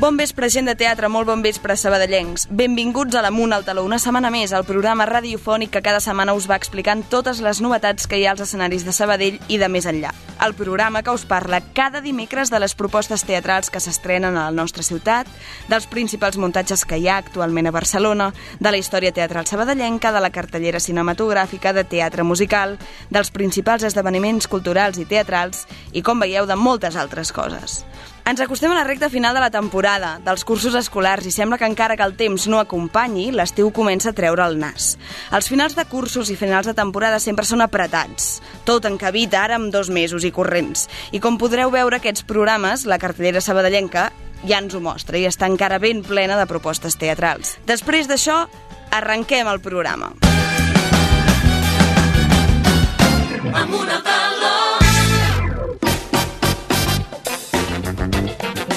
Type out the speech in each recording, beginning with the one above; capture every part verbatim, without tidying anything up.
Bon vespre, gent de teatre, molt bon vespre, sabadellencs. Benvinguts a l'Amunt al Taló, una setmana més, al programa radiofònic que cada setmana us va explicant totes les novetats que hi ha als escenaris de Sabadell i de més enllà. El programa que us parla cada dimecres de les propostes teatrals que s'estrenen a la nostra ciutat, dels principals muntatges que hi ha actualment a Barcelona, de la història teatral sabadellenca, de la cartellera cinematogràfica, de teatre musical, dels principals esdeveniments culturals i teatrals i, com veieu, de moltes altres coses. Ens acostem a la recta final de la temporada, dels cursos escolars, i sembla que encara que el temps no acompanyi, l'estiu comença a treure el nas. Els finals de cursos i finals de temporada sempre són apretats, tot encabit ara amb dos mesos i corrents. I com podreu veure, aquests programes, la cartellera sabadellenca, ja ens ho mostra i està encara ben plena de propostes teatrals. Després d'això, arrenquem el programa. Amunt al taló.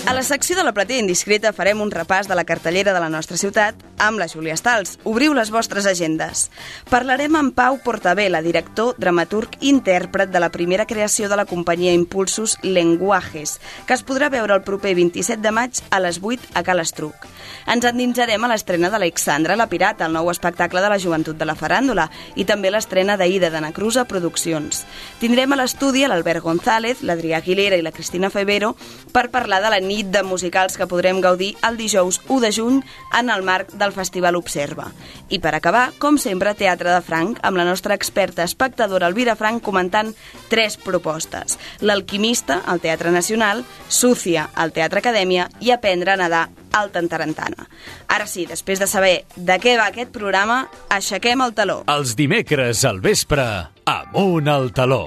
A la secció de la platea indiscreta farem un repàs de la cartellera de la nostra ciutat amb la Júlia Stals. Obriu les vostres agendes. Parlarem amb Pau Portabella, director, dramaturg i intèrpret de la primera creació de la companyia Impulsos Lenguajes, que es podrà veure el proper vint-i-set de maig a les vuit a Cal Estruc. Ens endinsarem a l'estrena d'Alexandra la Pirata, el nou espectacle de la joventut de la faràndula, i també l'estrena d'Aida de Nacrusa Produccions. Tindrem a l'estudi l'Albert González, l'Adrià Aguilera i la Cristina Febero per parlar de la nit de musicals que podrem gaudir el dijous u de juny en el marc del Festival Observa. I per acabar, com sempre, Teatre de Franc, amb la nostra experta espectadora Elvira Franc comentant tres propostes. L'Alquimista, al Teatre Nacional, Súcia, al Teatre Acadèmia i Aprendre a nedar al Tantarantana. Ara sí, després de saber de què va aquest programa, aixequem el taló. Els dimecres al vespre, Amunt al Taló.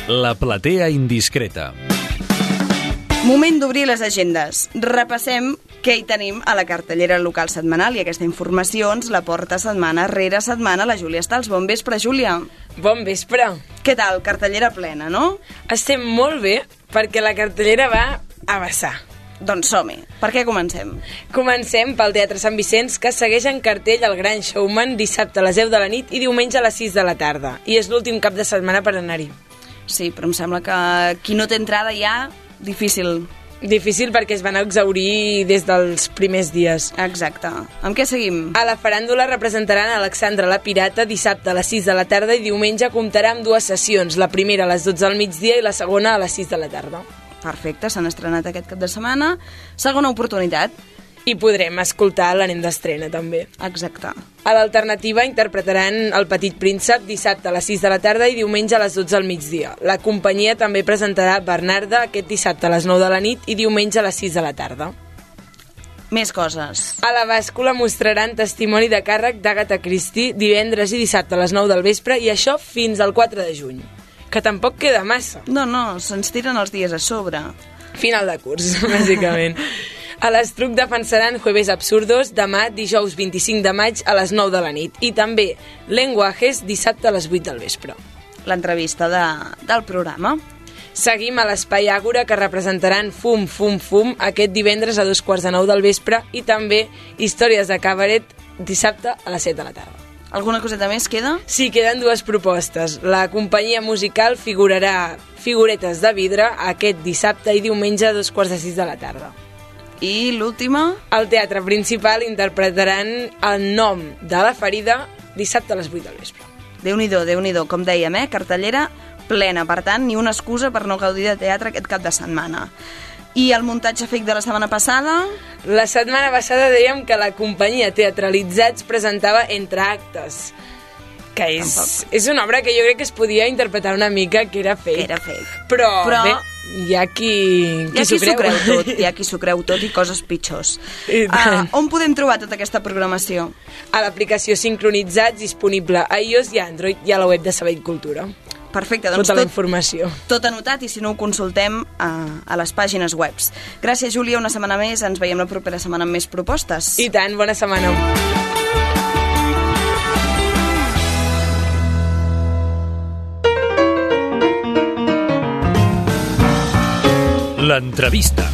La platea indiscreta. Moment d'obrir les agendes. Repassem què hi tenim a la cartellera local setmanal i aquesta informació ens la porta setmana rere setmana la Júlia Stals. Bon vespre, Júlia. Bon vespre. Què tal? Cartellera plena, no? Estem molt bé perquè la cartellera va a vessar. Doncs som-hi. Per què comencem? Comencem pel Teatre Sant Vicenç, que segueix en cartell el Gran Showman dissabte a les deu de la nit i diumenge a les sis de la tarda. I és l'últim cap de setmana per anar-hi. Sí, però em sembla que qui no té entrada ja, difícil. Difícil perquè es van exhaurir des dels primers dies. Exacte. Amb què seguim? A la faràndula representaran Alexandra la Pirata dissabte a les sis de la tarda i diumenge comptarà amb dues sessions, la primera a les dotze del migdia i la segona a les sis de la tarda. Perfecte, s'han estrenat aquest cap de setmana. Segona oportunitat. I podrem escoltar l'anell d'estrena, també. Exacte. A l'alternativa interpretaran El Petit Príncep dissabte a les sis de la tarda i diumenge a les dotze del migdia. La companyia també presentarà Bernarda aquest dissabte a les nou de la nit i diumenge a les sis de la tarda. Més coses. A la bàscula mostraran Testimoni de càrrec d'Agatha Christie divendres i dissabte a les nou del vespre i això fins al quatre de juny. Que tampoc queda massa. No, no, se'ns tiren els dies a sobre. Final de curs, bàsicament. A l'Estruc defensaran Jueves Absurdos demà, dijous vint-i-cinc de maig a les nou de la nit. I també Lenguajes dissabte a les vuit del vespre. L'entrevista de, del programa. Seguim a l'Espai Àgora, que representaran Fum, Fum, Fum aquest divendres a dos quarts de nou del vespre i també Històries de Cabaret dissabte a les set de la tarda. Alguna coseta més queda? Sí, queden dues propostes. La companyia musical figurarà Figuretes de Vidre aquest dissabte i diumenge a dos quarts de sis de la tarda. I l'última? Al Teatre Principal interpretaran El nom de la ferida dissabte a les vuit del vespre. Déu-n'hi-do, Déu-n'hi-do, com dèiem, eh? Cartellera plena, per tant, ni una excusa per no gaudir de teatre aquest cap de setmana. I el muntatge fake de la setmana passada? La setmana passada dèiem que la companyia Teatralitzats presentava Entre actes, que és, és una obra que jo crec que es podia interpretar una mica que era fake. Que era fake. Però, Però... bé, hi ha qui, qui, hi ha qui s'ho creu. creu tot, hi ha qui s'ho creu tot i coses pitjors. Uh, on podem trobar tota aquesta programació? A l'aplicació Sincronitzats, disponible a iOS i a Android, i a la web de Sabadell Cultura. Perfecte, doncs tota la tot, informació. Tot anotat i si no ho consultem a, a les pàgines webs. Gràcies, Júlia, una setmana més. Ens veiem la propera setmana amb més propostes. I tant, bona setmana. L'entrevista.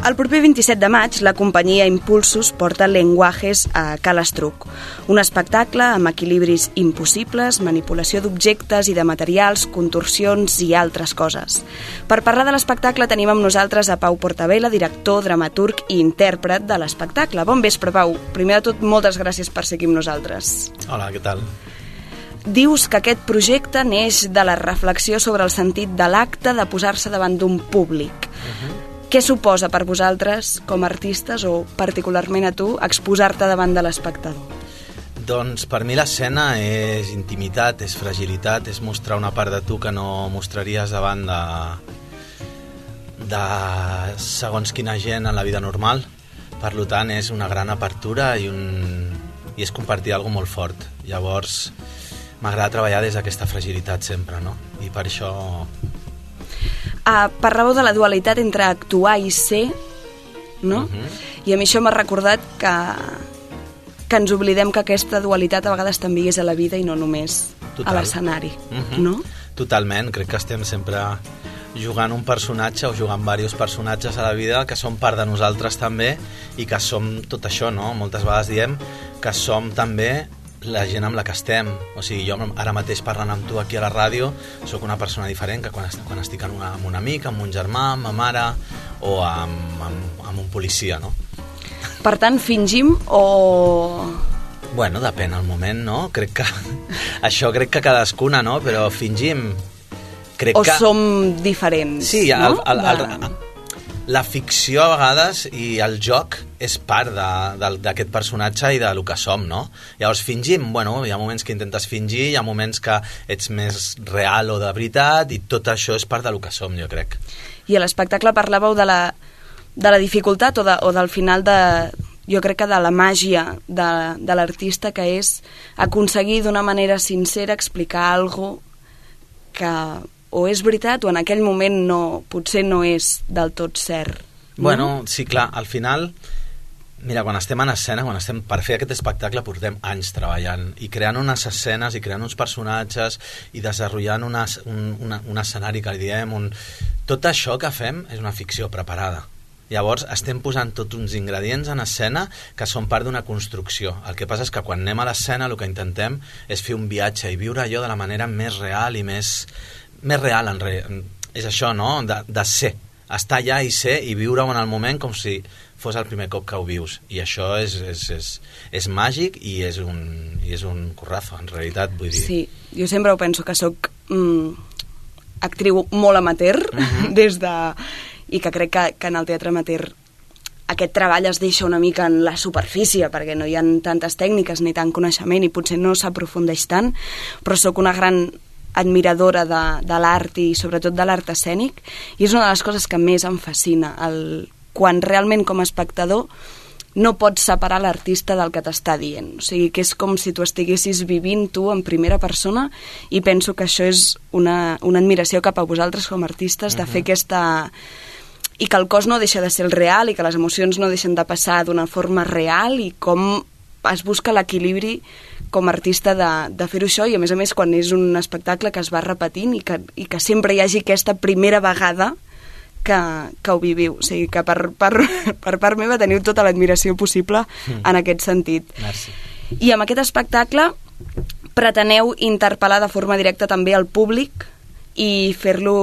El proper vint-i-set de maig, la companyia Impulsos porta Lenguajes a Cal Estruc, un espectacle amb equilibris impossibles, manipulació d'objectes i de materials, contorsions i altres coses. Per parlar de l'espectacle tenim amb nosaltres a Pau Portabella, director, dramaturg i intèrpret de l'espectacle. Bon vespre, Pau. Primer de tot, moltes gràcies per ser aquí amb nosaltres. Hola, què tal? Dius que aquest projecte neix de la reflexió sobre el sentit de l'acte de posar-se davant d'un públic. Uh-huh. Què suposa per vosaltres, com a artistes, o particularment a tu, exposar-te davant de l'espectador? Doncs per mi l'escena és intimitat, és fragilitat, és mostrar una part de tu que no mostraries davant de, de segons quina gent en la vida normal. Per tant, és una gran apertura i, un, i és compartir alguna molt fort. Llavors, m'agrada treballar des d'aquesta fragilitat sempre, no? I per això... Uh, parlàveu de la dualitat entre actuar i ser, no? Uh-huh. I a mi això m'ha recordat que, que ens oblidem que aquesta dualitat a vegades també hi és a la vida i no només Total. A l'escenari, uh-huh. no? Totalment, crec que estem sempre jugant un personatge o jugant diversos personatges a la vida que són part de nosaltres també i que som tot això, no? Moltes vegades diem que som també la gent amb la que estem. O sigui, jo ara mateix parlant amb tu aquí a la ràdio sóc una persona diferent que quan, quan estic amb, una, amb un amic, amb un germà, amb ma mare o amb, amb, amb un policia, no? Per tant, fingim o... Bueno, depèn el moment, no? Crec que... Això crec que cadascuna, no? Però fingim... Crec o que... som diferents, sí, no? el, el, el, el, la ficció a vegades i el joc és part d'aquest personatge i del que som, no? Llavors fingim, bueno, hi ha moments que intentes fingir, hi ha moments que ets més real o de veritat i tot això és part del que som, jo crec. I a l'espectacle parlàveu de la, de la dificultat o, de, o del final de... Jo crec que de la màgia de, de l'artista, que és aconseguir d'una manera sincera explicar alguna que o és veritat o en aquell moment no, potser no és del tot cert. No? Bueno, sí, clar, al final, mira, quan estem en escena, quan estem per fer aquest espectacle portem anys treballant i creant unes escenes i creant uns personatges i desenvolupant una, un, una, un escenari que li diem, un... tot això que fem és una ficció preparada. Llavors estem posant tots uns ingredients en escena que són part d'una construcció. El que passa és que quan anem a l'escena el que intentem és fer un viatge i viure allò de la manera més real i més, més real. En re... És això, no? De, de ser. Estar allà i ser i viure-ho en el moment com si fos el primer cop que ho vius. I això és, és, és, és màgic i és, un, i és un currazo, en realitat, vull dir. Sí, jo sempre ho penso que sóc mm, actriu molt amateur, uh-huh. des de... i que crec que, que en el teatre amateur aquest treball es deixa una mica en la superfície perquè no hi ha tantes tècniques ni tant coneixement i potser no s'aprofundeix tant, però sóc una gran admiradora de, de l'art i sobretot de l'art escènic i és una de les coses que més em fascina, el, quan realment com a espectador no pots separar l'artista del que t'està dient. O sigui, que és com si tu estiguessis vivint tu en primera persona i penso que això és una, una admiració cap a vosaltres com a artistes de uh-huh. fer aquesta... i que el cos no deixa de ser el real i que les emocions no deixen de passar d'una forma real i com es busca l'equilibri com a artista de, de fer-ho això i a més a més quan és un espectacle que es va repetint i que, i que sempre hi hagi aquesta primera vegada que, que ho viviu. O sigui que per, per, per part meva teniu tota l'admiració possible mm. en aquest sentit. Merci. I amb aquest espectacle preteneu interpel·lar de forma directa també al públic i fer-lo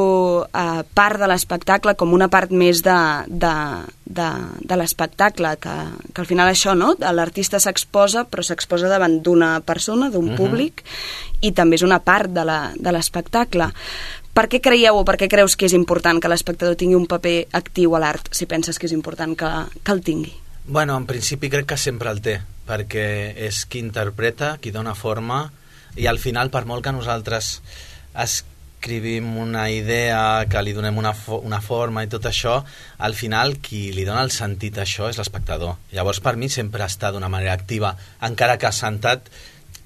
eh, part de l'espectacle com una part més de, de, de, de l'espectacle, que, que al final això, no? L'artista s'exposa, però s'exposa davant d'una persona, d'un uh-huh. públic, i també és una part de l'espectacle. Per què creieu o per què creus que és important que l'espectador tingui un paper actiu a l'art, si penses que és important que, que el tingui? Bueno, en principi crec que sempre el té, perquè és qui interpreta, qui dona forma, i al final, per molt que nosaltres es escrivim una idea, que li donem una, fo una forma i tot això, al final qui li dona el sentit a això és l'espectador. Llavors per mi sempre està d'una manera activa, encara que assentat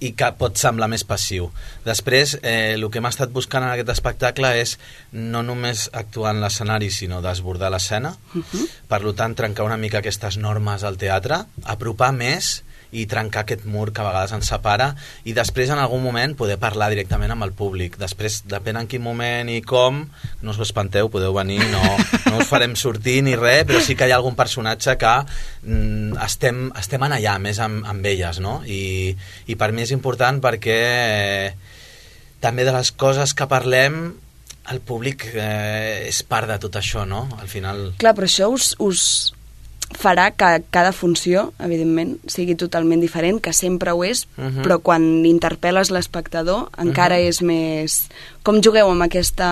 i que pot semblar més passiu. Després, eh, el que hem estat buscant en aquest espectacle és no només actuar en l'escenari, sinó desbordar l'escena, uh-huh. per tant trencar una mica aquestes normes al teatre, apropar més i trencar aquest mur que a vegades ens separa, i després en algun moment poder parlar directament amb el públic. Després, depèn en quin moment i com, no us espanteu, podeu venir, no, no us farem sortir ni res, però sí que hi ha algun personatge que mm, estem, estem en allà més amb, amb elles, no? I, i per mi és important perquè eh, també de les coses que parlem el públic eh, és part de tot això, no? Al final... Clar, però això us, us farà que cada funció, evidentment, sigui totalment diferent, que sempre ho és, uh-huh. però quan interpel·les l'espectador encara uh-huh. és més... Com jugueu amb aquesta...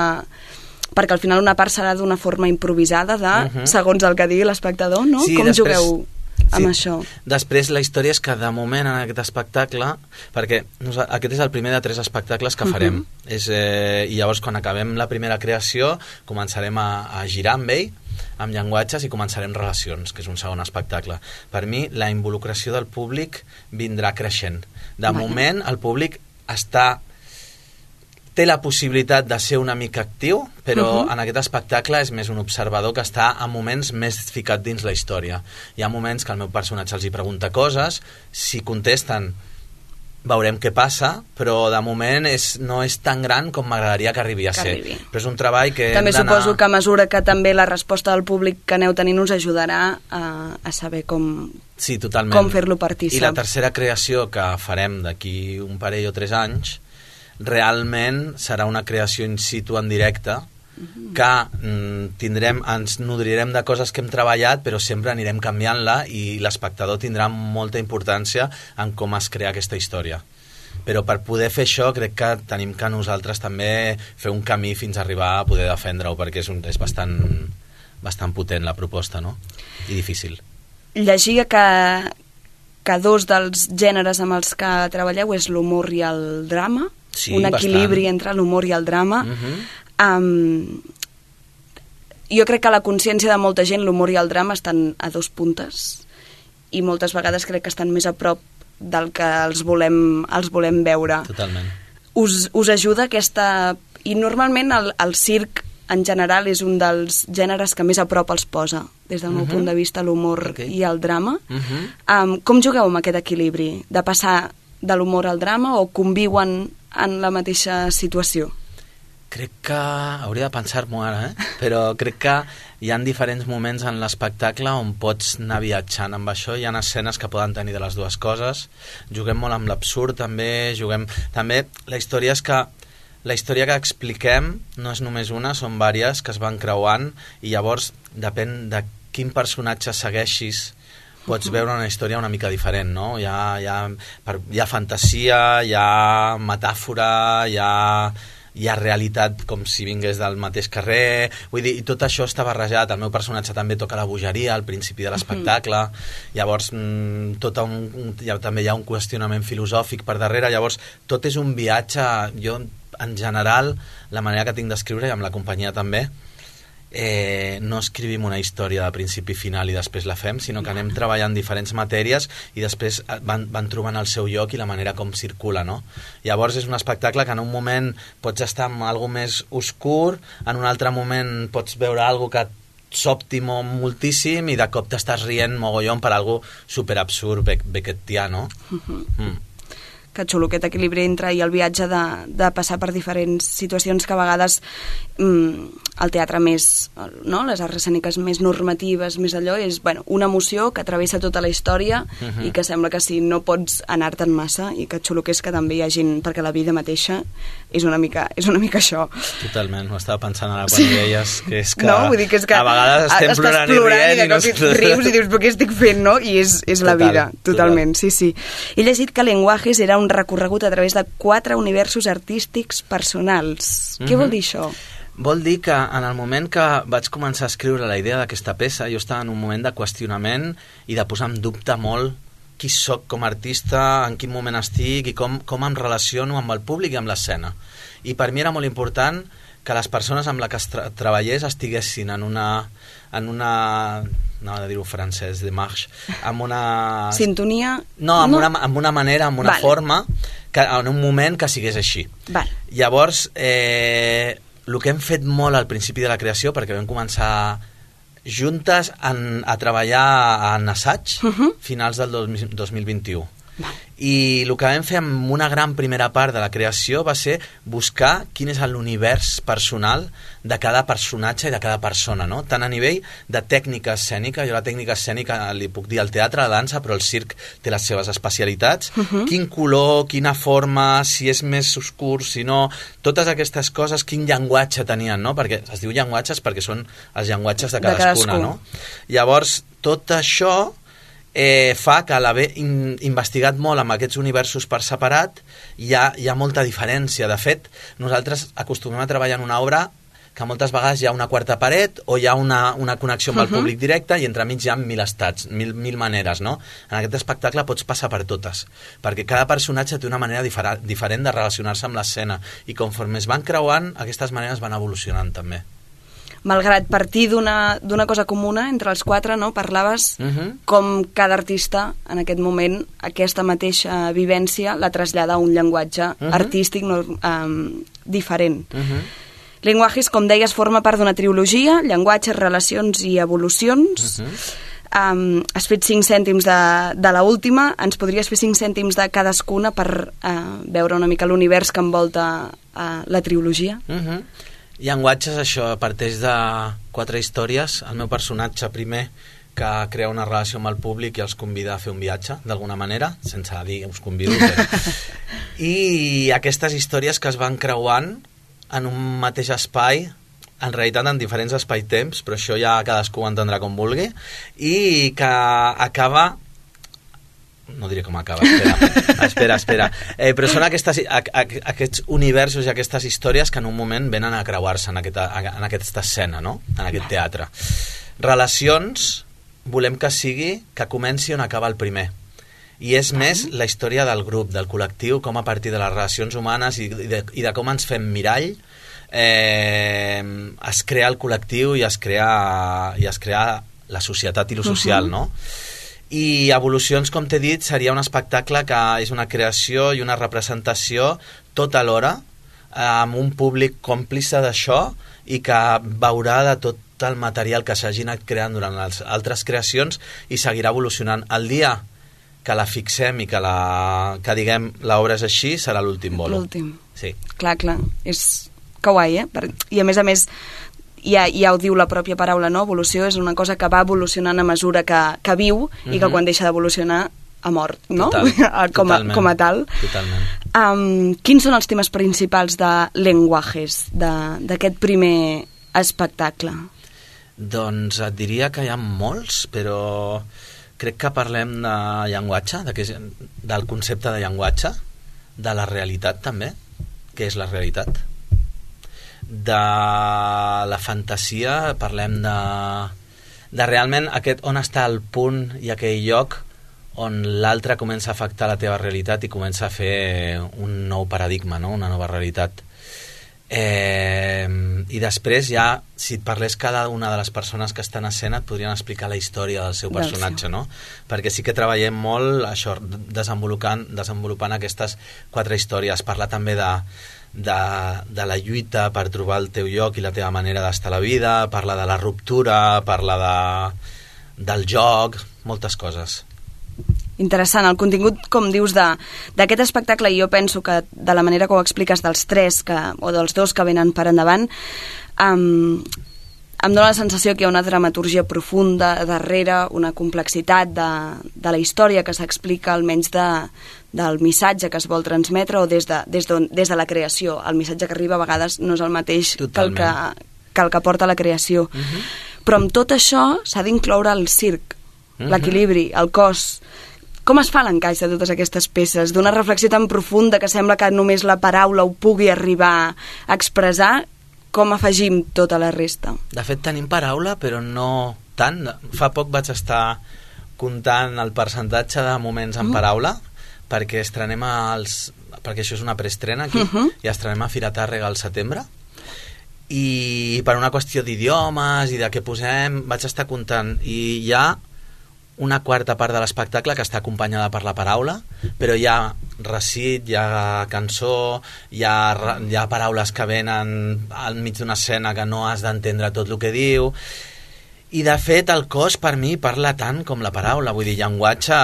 Perquè al final una part serà d'una forma improvisada de, uh-huh. segons el que digui l'espectador, no? Sí, Com després... jugueu amb sí. això? Després la història és que de moment en aquest espectacle, perquè aquest és el primer de tres espectacles que farem, uh-huh. és, eh, i llavors quan acabem la primera creació començarem a, a girar amb ell, amb llenguatges, i començarem relacions, que és un segon espectacle. Per mi la involucració del públic vindrà creixent. De vale. moment el públic està... té la possibilitat de ser una mica actiu, però uh-huh. en aquest espectacle és més un observador que està a moments més ficat dins la història. Hi ha moments que el meu personatge els hi pregunta coses, si contesten veurem què passa, però de moment és, no és tan gran com m'agradaria que arribi a ser. Arribi. Però és un treball que també suposo que a mesura que també la resposta del públic que aneu tenint us ajudarà a, a saber com, sí, totalment. com fer-lo partícip. I la tercera creació que farem d'aquí un parell o tres anys realment serà una creació in situ en directe, uh-huh. que mm, tindrem, ens nodrirem de coses que hem treballat, però sempre anirem canviant-la i l'espectador tindrà molta importància en com es crea aquesta història. Però per poder fer això crec que tenim que nosaltres també fer un camí fins a arribar a poder defendre-ho, perquè és, un, és bastant, bastant potent la proposta, no? I difícil. Llegia que, que dos dels gèneres amb els que treballeu és l'humor i el drama, sí, un equilibri bastant. Entre l'humor i el drama. Uh-huh. um, jo crec que la consciència de molta gent, l'humor i el drama estan a dos puntes i moltes vegades crec que estan més a prop del que els volem, els volem veure. Totalment. Us, us ajuda aquesta... I normalment el, el circ en general és un dels gèneres que més a prop els posa, des del meu uh-huh. punt de vista, l'humor okay. i el drama. Uh-huh. um, com jugueu amb aquest equilibri? De passar de l'humor al drama o conviuen en la mateixa situació? Crec que... hauria de pensar-m'ho ara, eh? Però crec que hi ha diferents moments en l'espectacle on pots anar viatjant amb això. Hi ha escenes que poden tenir de les dues coses. Juguem molt amb l'absurd, també. Juguem... També la història és que la història que expliquem no és només una, són vàries que es van creuant i llavors depèn de quin personatge segueixis pots veure una història una mica diferent, no? Hi ha, hi ha, hi ha fantasia, hi ha metàfora, hi ha, hi ha realitat com si vingués del mateix carrer, vull dir, i tot això està barrejat. El meu personatge també toca la bogeria al principi de l'espectacle, mm-hmm. llavors mm, tot un, un, ja, també hi ha un qüestionament filosòfic per darrere, llavors tot és un viatge. Jo, en general, la manera que tinc d'escriure, i amb la companyia també, Eh, no escrivim una història de principi i final i després la fem, sinó que anem treballant diferents matèries i després van, van trobant el seu lloc i la manera com circula, no? Llavors és un espectacle que en un moment pots estar en algo més oscur, en un altre moment pots veure algo que sobti moltíssim i de cop t'estàs rient mogollon per algo superabsurd, beckettià, no? Uh-huh. Mm. Que xulo aquest equilibri entre i el viatge de, de passar per diferents situacions que a vegades mm, el teatre més, no? Les arts escèniques més normatives, més allò, és bueno, una emoció que travessa tota la història uh-huh. i que sembla que si no pots anar-te'n massa, i que xulo que és que també hi ha gent, perquè la vida mateixa és una mica, és una mica això. Totalment, ho estava pensant ara quan sí. hi deies, que és que, no, vull dir que, és que a vegades estem plorant, plorant i rient i, i no... rius i dius, però què estic fent, no? I és, és total, la vida, totalment, total. sí, sí. He llegit que Lenguajes era un recorregut a través de quatre universos artístics personals. Mm-hmm. Què vol dir això? Vol dir que en el moment que vaig començar a escriure la idea d'aquesta peça, jo estava en un moment de qüestionament i de posar en dubte molt qui sóc com a artista, en quin moment estic i com, com em relaciono amb el públic i amb l'escena. I per mi era molt important que les persones amb les que tra treballés estiguessin en una... en una no he de dir-ho francès, de marche, amb una... Sintonia? No, amb, no. Una, amb una manera, amb una vale. forma, que en un moment que sigués així. Vale. Llavors, eh, el que hem fet molt al principi de la creació, perquè vam començar juntes en, a treballar en assaig Uh -huh. finals del dos mil vint-i-u. I el que vam fer amb una gran primera part de la creació va ser buscar quin és l'univers personal de cada personatge i de cada persona, no? Tant a nivell de tècnica escènica, jo la tècnica escènica li puc dir al teatre, a la dansa, però el circ té les seves especialitats, uh -huh. quin color, quina forma, si és més oscur, si no, totes aquestes coses, quin llenguatge tenien, no? Perquè es diu llenguatges perquè són els llenguatges de cadascuna, de cadascú. No? Llavors, tot això Eh, fa que a l'haver in, investigat molt amb aquests universos per separat hi ha, hi ha molta diferència. De fet, nosaltres acostumem a treballar en una obra que moltes vegades hi ha una quarta paret o hi ha una, una connexió amb el uh -huh. públic directe i entremig hi ha mil estats, mil, mil maneres, no? En aquest espectacle pots passar per totes, perquè cada personatge té una manera difer diferent de relacionar-se amb l'escena i conforme es van creuant, aquestes maneres van evolucionant també. Malgrat partir d'una cosa comuna entre els quatre, no? Parlaves uh -huh. com cada artista en aquest moment aquesta mateixa vivència la trasllada a un llenguatge uh -huh. artístic no, um, diferent. Uh -huh. Lenguajes, com deies, forma part d'una trilogia, llenguatges, relacions i evolucions. Uh -huh. um, has fet cinc cèntims de, de la última, ens podries fer cinc cèntims de cadascuna per uh, veure una mica l'univers que envolta uh, la trilogia? Uh -huh. Llenguatges, això, parteix de quatre històries. El meu personatge primer, que crea una relació amb el públic i els convida a fer un viatge, d'alguna manera, sense dir us convido. Però... I aquestes històries que es van creuant en un mateix espai, en realitat en diferents espai-temps, però això ja cadascú ho entendrà com vulgui, i que acaba... no diré com acaba, espera, espera, espera. Eh, però són aquestes, a, a, aquests universos i aquestes històries que en un moment venen a creuar-se en, aquesta, en aquesta escena, no? En aquest teatre. Relacions, volem que sigui que comenci on acaba el primer. I és més la història del grup, del col·lectiu, com a partir de les relacions humanes i de, i de com ens fem mirall eh, es crea el col·lectiu i es crea, i es crea la societat i lo social, uh-huh. no? I Evolucions, com t'he dit, seria un espectacle que és una creació i una representació tot alhora, amb un públic còmplice d'això i que veurà de tot el material que s'hagi anat creant durant les altres creacions i seguirà evolucionant. El dia que la fixem i que, la, que diguem l'obra és així, serà l'últim bolo. L'últim. Sí. Clar, clar. És que guai, eh? Per... I a més a més... Ja, ja ho diu la pròpia paraula, no? Evolució és una cosa que va evolucionant a mesura que, que viu uh-huh. i que quan deixa d'evolucionar ha mort, no? Total, com, a, com a tal. Totalment. Um, quins són els temes principals de Lenguajes, d'aquest primer espectacle? Doncs et diria que hi ha molts, però crec que parlem de llenguatge, de que és, del concepte de llenguatge, de la realitat també, què és la realitat, de la fantasia, parlem de, de realment aquest, on està el punt i aquell lloc on l'altre comença a afectar la teva realitat i comença a fer un nou paradigma, no? Una nova realitat. Eh, I després ja, si et parlés cada una de les persones que estan a escena, et podrien explicar la història del seu personatge, no? Perquè sí que treballem molt això, desenvolupant, desenvolupant aquestes quatre històries. Parla també de De, de la lluita per trobar el teu lloc i la teva manera d'estar a la vida, parla de la ruptura, parla de, del joc, moltes coses. Interessant, el contingut, com dius, d'aquest espectacle, i jo penso que de la manera que ho expliques dels tres que, o dels dos que venen per endavant, um, em dóna la sensació que hi ha una dramaturgia profunda darrere, una complexitat de, de la història que s'explica, almenys de, del missatge que es vol transmetre o des de, des, des de la creació. El missatge que arriba a vegades no és el mateix que el que, que el que porta la creació. Uh -huh. Però amb tot això s'ha d'incloure el circ, uh -huh. l'equilibri, el cos. Com es fa l'encaix de totes aquestes peces? D'una reflexió tan profunda que sembla que només la paraula ho pugui arribar a expressar, com afegim tota la resta? De fet, tenim paraula, però no tant. Fa poc vaig estar comptant el percentatge de moments en paraula, perquè estrenem els... perquè això és una preestrena aquí, uh -huh. i estrenem a Fira Tàrrega al setembre, i per una qüestió d'idiomes i de què posem, vaig estar comptant, i hi ha una quarta part de l'espectacle que està acompanyada per la paraula, però hi ha recit, hi ha cançó, hi ha, hi ha paraules que venen al mig d'una escena que no has d'entendre tot el que diu, I de fet el cos per mi parla tant com la paraula, vull dir, llenguatge,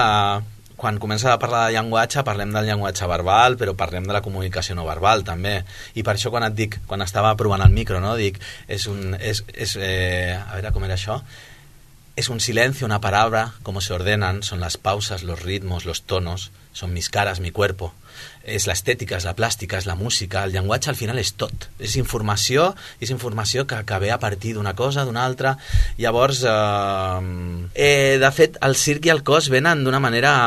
quan comença a parlar de llenguatge parlem del llenguatge verbal, però parlem de la comunicació no verbal també, i per això quan et dic, quan estava provant el micro, no, dic, és un, és, és, eh, a veure com era això, es un silencio, una palabra, cómo se ordenan, son las pausas, los ritmos, los tonos, son mis caras, mi cuerpo. És l'estètica, és la plàstica, és la música, el llenguatge al final és tot. És informació, és informació que, que ve a partir d'una cosa, d'una altra. Llavors, eh, eh, de fet, el circ i el cos venen d'una manera...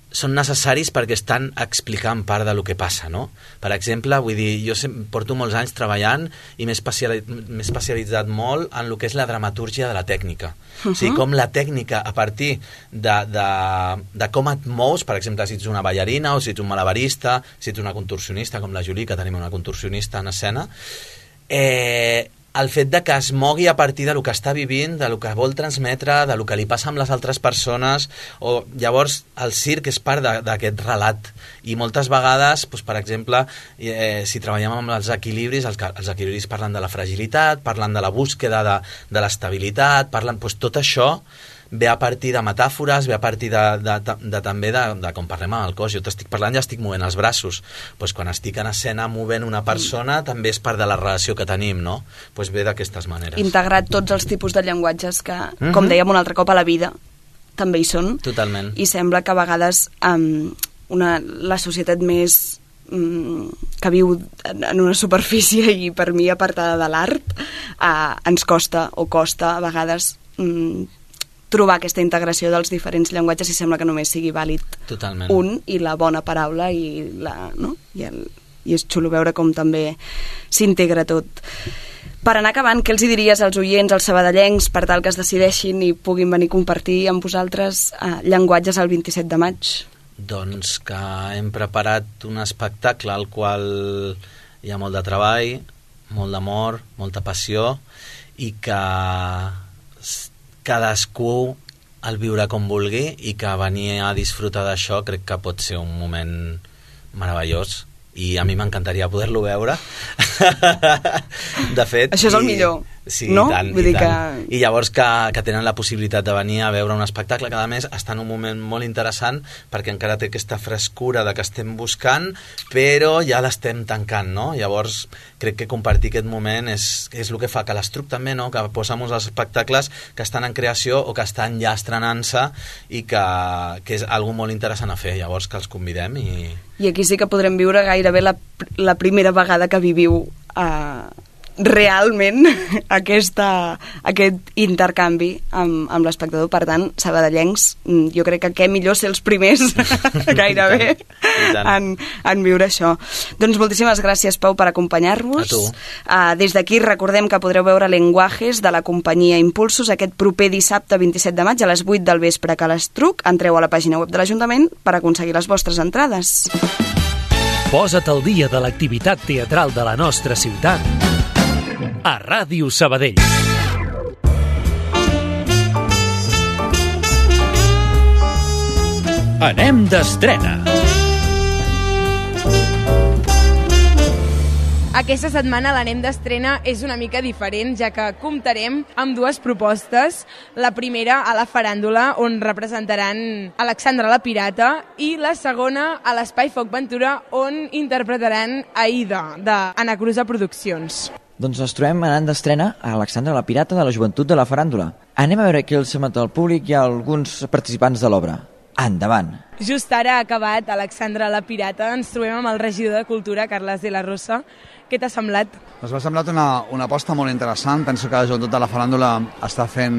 són necessaris perquè estan explicant part del que passa, no? Per exemple, vull dir, jo porto molts anys treballant i m'he especialitzat, especialitzat molt en el que és la dramatúrgia de la tècnica. Uh-huh. O sigui, com la tècnica, a partir de, de, de com et mous, per exemple, si ets una ballarina o si ets un malabarista, si ets una contorsionista, com la Julie, que tenim una contorsionista en escena, eh... el fet de que es mogui a partir del que està vivint, del que vol transmetre, del que li passa amb les altres persones, o llavors el circ és part d'aquest relat. I moltes vegades, doncs, per exemple, eh, si treballem amb els equilibris, els, els equilibris parlen de la fragilitat, parlen de la búsqueda de, de l'estabilitat, parlen, doncs, tot això ve a partir de metàfores, ve a partir de, de, de, de també de, de com parlem amb el cos. Jo t'estic parlant i estic movent els braços. Pues quan estic en escena movent una persona mm. també és part de la relació que tenim, no? Pues ve d'aquestes maneres. Integrat tots els tipus de llenguatges que, mm-hmm. com dèiem un altre cop, a la vida també hi són. Totalment. I sembla que a vegades um, una, la societat més um, que viu en una superfície i per mi apartada de l'art uh, ens costa o costa a vegades um, trobar aquesta integració dels diferents llenguatges i sembla que només sigui vàlid Totalment. Un i la bona paraula i, la, no? I, el, i és xulo veure com també s'integra tot. Per anar acabant, què els hi diries als oients, als sabadellencs, per tal que es decideixin i puguin venir a compartir amb vosaltres eh, llenguatges el vint-i-set de maig? Doncs que hem preparat un espectacle al qual hi ha molt de treball, molt d'amor, molta passió i que cadascú el viure com vulgui i que venir a disfrutar d'això crec que pot ser un moment meravellós i a mi m'encantaria poder-lo veure. De fet... Això és el millor, sí, no? I tant, Vull i dir tant. que... I llavors que, que tenen la possibilitat de venir a veure un espectacle que, a més, està en un moment molt interessant perquè encara té aquesta frescura de que estem buscant, però ja l'estem tancant, no? Llavors, crec que compartir aquest moment és, és el que fa que l'Estruc també, no? Que posa molts espectacles que estan en creació o que estan ja estrenant-se i que, que és algo molt interessant a fer. Llavors, que els convidem i... I aquí sí que podrem viure gairebé la, la primera vegada que viviu eh, realment aquesta, aquest intercanvi amb, amb l'espectador. Per tant, sabadellencs, jo crec que què millor ser els primers gairebé en, en viure això. Doncs moltíssimes gràcies, Pau, per acompanyar-nos. A tu. Uh, des d'aquí recordem que podreu veure Lenguajes de la companyia Impulsos aquest proper dissabte vint-i-set de maig a les vuit del vespre a l'Estruc. Entreu a la pàgina web de l'Ajuntament per aconseguir les vostres entrades. Posa't al dia de l'activitat teatral de la nostra ciutat a Ràdio Sabadell. Anem d'estrena. Aquesta setmana l'Anem d'estrena és una mica diferent, ja que comptarem amb dues propostes. La primera a la faràndula, on representaran Alexandra la Pirata, i la segona a l'Espai Foc Ventura, on interpretaran Aida, d'Anna Cruza Produccions. Doncs ens trobem anant d'estrena a Alexandra la Pirata de la Joventut de la Faràndula. Anem a veure qui el sembla al públic i alguns participants de l'obra. Endavant! Just ara ha acabat Alexandra la Pirata. Ens trobem amb el regidor de Cultura, Carles de la Rosa. Què t'ha semblat? Doncs m'ha semblat una, una aposta molt interessant. Penso que la Joventut de la Faràndula està fent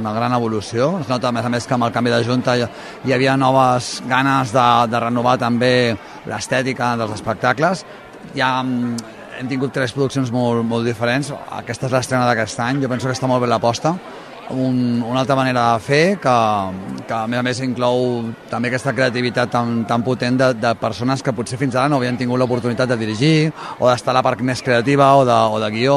una gran evolució. Es nota, a més a més, que amb el canvi de Junta hi, hi havia noves ganes de, de renovar també l'estètica dels espectacles. Ja hem tingut tres produccions molt, molt diferents. Aquesta és l'estrena d'aquest any. Jo penso que està molt bé l'aposta. Un, una altra manera de fer que, que a més a més inclou també aquesta creativitat tan, tan potent de, de persones que potser fins ara no havien tingut l'oportunitat de dirigir o d'estar a la part més creativa o de, o de guió.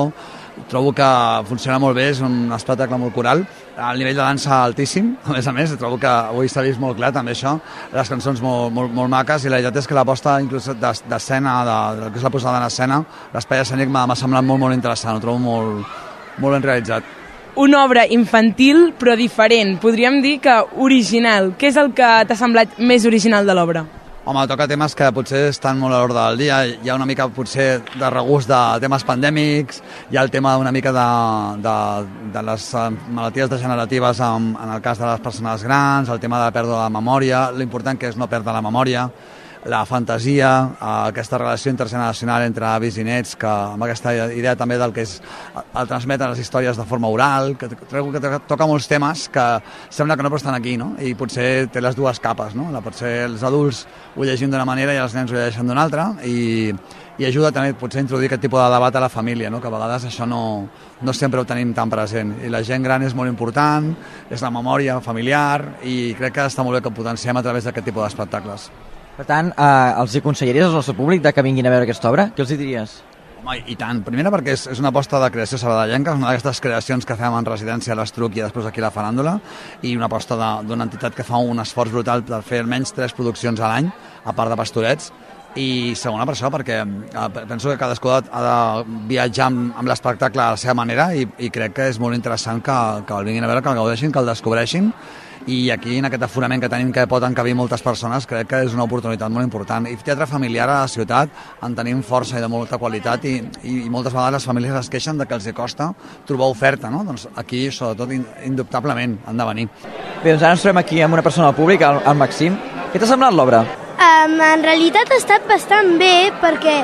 Trobo que funciona molt bé, és un espectacle molt coral, el nivell de dansa altíssim, a més a més, trobo que avui s'ha vist molt clar també això, les cançons molt, molt, molt maques, i la veritat és que l'aposta inclús d'escena, de, de, que és la posada en escena, l'espai escènic m'ha semblat molt, molt interessant, ho trobo molt, molt ben realitzat. una obra infantil però diferent, podríem dir que original. Què és el que t'ha semblat més original de l'obra? Home, toca temes que potser estan molt a l'ordre del dia. Hi ha una mica, potser, de regust de temes pandèmics, hi ha el tema una mica de, de, de les malalties degeneratives en, en el cas de les persones grans, el tema de la pèrdua de la memòria, l'important que és no perdre la memòria, la fantasia, aquesta relació intergeneracional entre avis i nets, que amb aquesta idea també del que és el transmetre les històries de forma oral, que trobo que toca molts temes que sembla que no però estan aquí, no? I potser té les dues capes, no? Potser els adults ho llegim d'una manera i els nens ho llegeixen d'una altra, i, i ajuda també potser a introduir aquest tipus de debat a la família, no? Que a vegades això no, no sempre ho tenim tan present. I la gent gran és molt important, és la memòria familiar, i crec que està molt bé que ho potenciem a través d'aquest tipus d'espectacles. Per tant, eh, els hi aconsellaries al nostre públic de que vinguin a veure aquesta obra? Què els hi diries? Home, i tant. Primera perquè és, és una aposta de creació sabadellenca, és una d'aquestes creacions que fem en residència a l'Estruc i després aquí a la Faràndula, i una aposta d'una entitat que fa un esforç brutal per fer almenys tres produccions a l'any, a part de Pastorets, i segona per això, perquè eh, penso que cadascú ha de viatjar amb, amb l'espectacle a la seva manera, i, i crec que és molt interessant que, que el vinguin a veure, que el gaudeixin, que el descobreixin, i aquí en aquest aforament que tenim que pot encabir moltes persones crec que és una oportunitat molt important. I teatre familiar a la ciutat en tenim força i de molta qualitat, i, i, i moltes vegades les famílies es queixen de que els costa trobar oferta, no? Doncs aquí sobretot indubtablement han de venir. Bé, doncs ara ens trobem aquí amb una persona del públic, el, el Maxim. Què t'ha semblat l'obra? Um, en realitat ha estat bastant bé perquè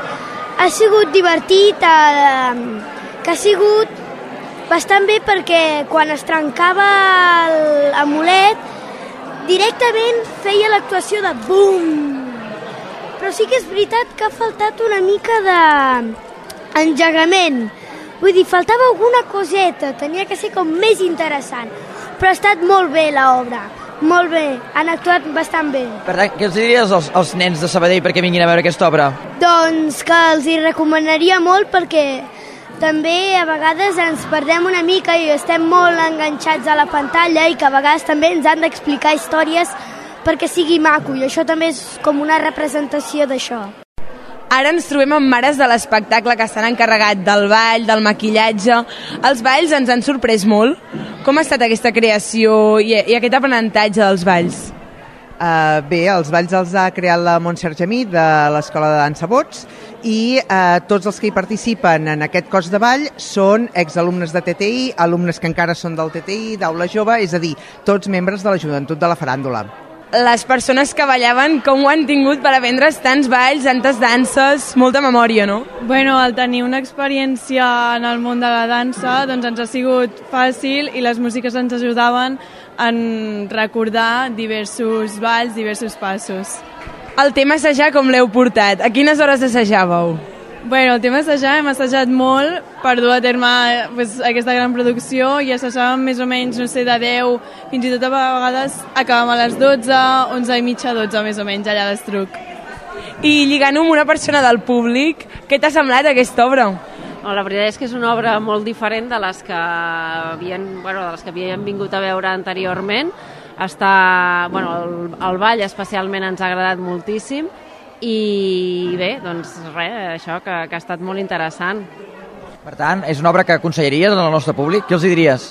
ha sigut divertit, uh, que ha sigut bastant bé perquè quan es trencava l'amulet directament feia l'actuació de bum. Però sí que és veritat que ha faltat una mica d'engegament. Vull dir, faltava alguna coseta, tenia que ser com més interessant. Però ha estat molt bé l'obra, molt bé, han actuat bastant bé. Per tant, què els diries als, als nens de Sabadell perquè vinguin a veure aquesta obra? Doncs que els hi recomanaria molt perquè també a vegades ens perdem una mica i estem molt enganxats a la pantalla i que a vegades també ens han d'explicar històries perquè sigui maco, i això també és com una representació d'això. Ara ens trobem amb mares de l'espectacle que s'han encarregat del ball, del maquillatge. Els balls ens han sorprès molt. Com ha estat aquesta creació i, i aquest aprenentatge dels balls? Uh, bé, els balls els ha creat la Montserrat Gemí de l'Escola de Dansa Bots, i uh, tots els que hi participen en aquest cos de ball són exalumnes de T T I, alumnes que encara són del T T I, d'Aula Jove, és a dir, tots membres de la joventut de la Faràndula. Les persones que ballaven, com ho han tingut per aprendre's tants balls, tantes danses, molta memòria, no? Bueno, al tenir una experiència en el món de la dansa, doncs ens ha sigut fàcil i les músiques ens ajudaven en recordar diversos balls, diversos passos. El tema assajar com l'heu portat? A quines hores assajàveu? Bueno, el tema assajar hem assajat molt per dur a terme pues, aquesta gran producció, i assajàvem més o menys, no sé, de deu, fins i tot a vegades acabàvem a les dotze, onze i mitja, dotze més o menys, allà a l'Estruc. I lligant-ho amb una persona del públic, què t'ha semblat aquesta obra? No, la veritat és que és una obra molt diferent de les que havien, bueno, de les que havien vingut a veure anteriorment. Està, bueno, el, el ball especialment ens ha agradat moltíssim, i bé, doncs res, això que, que ha estat molt interessant. Per tant, és una obra que aconsellaries al nostre públic? Què els hi diries?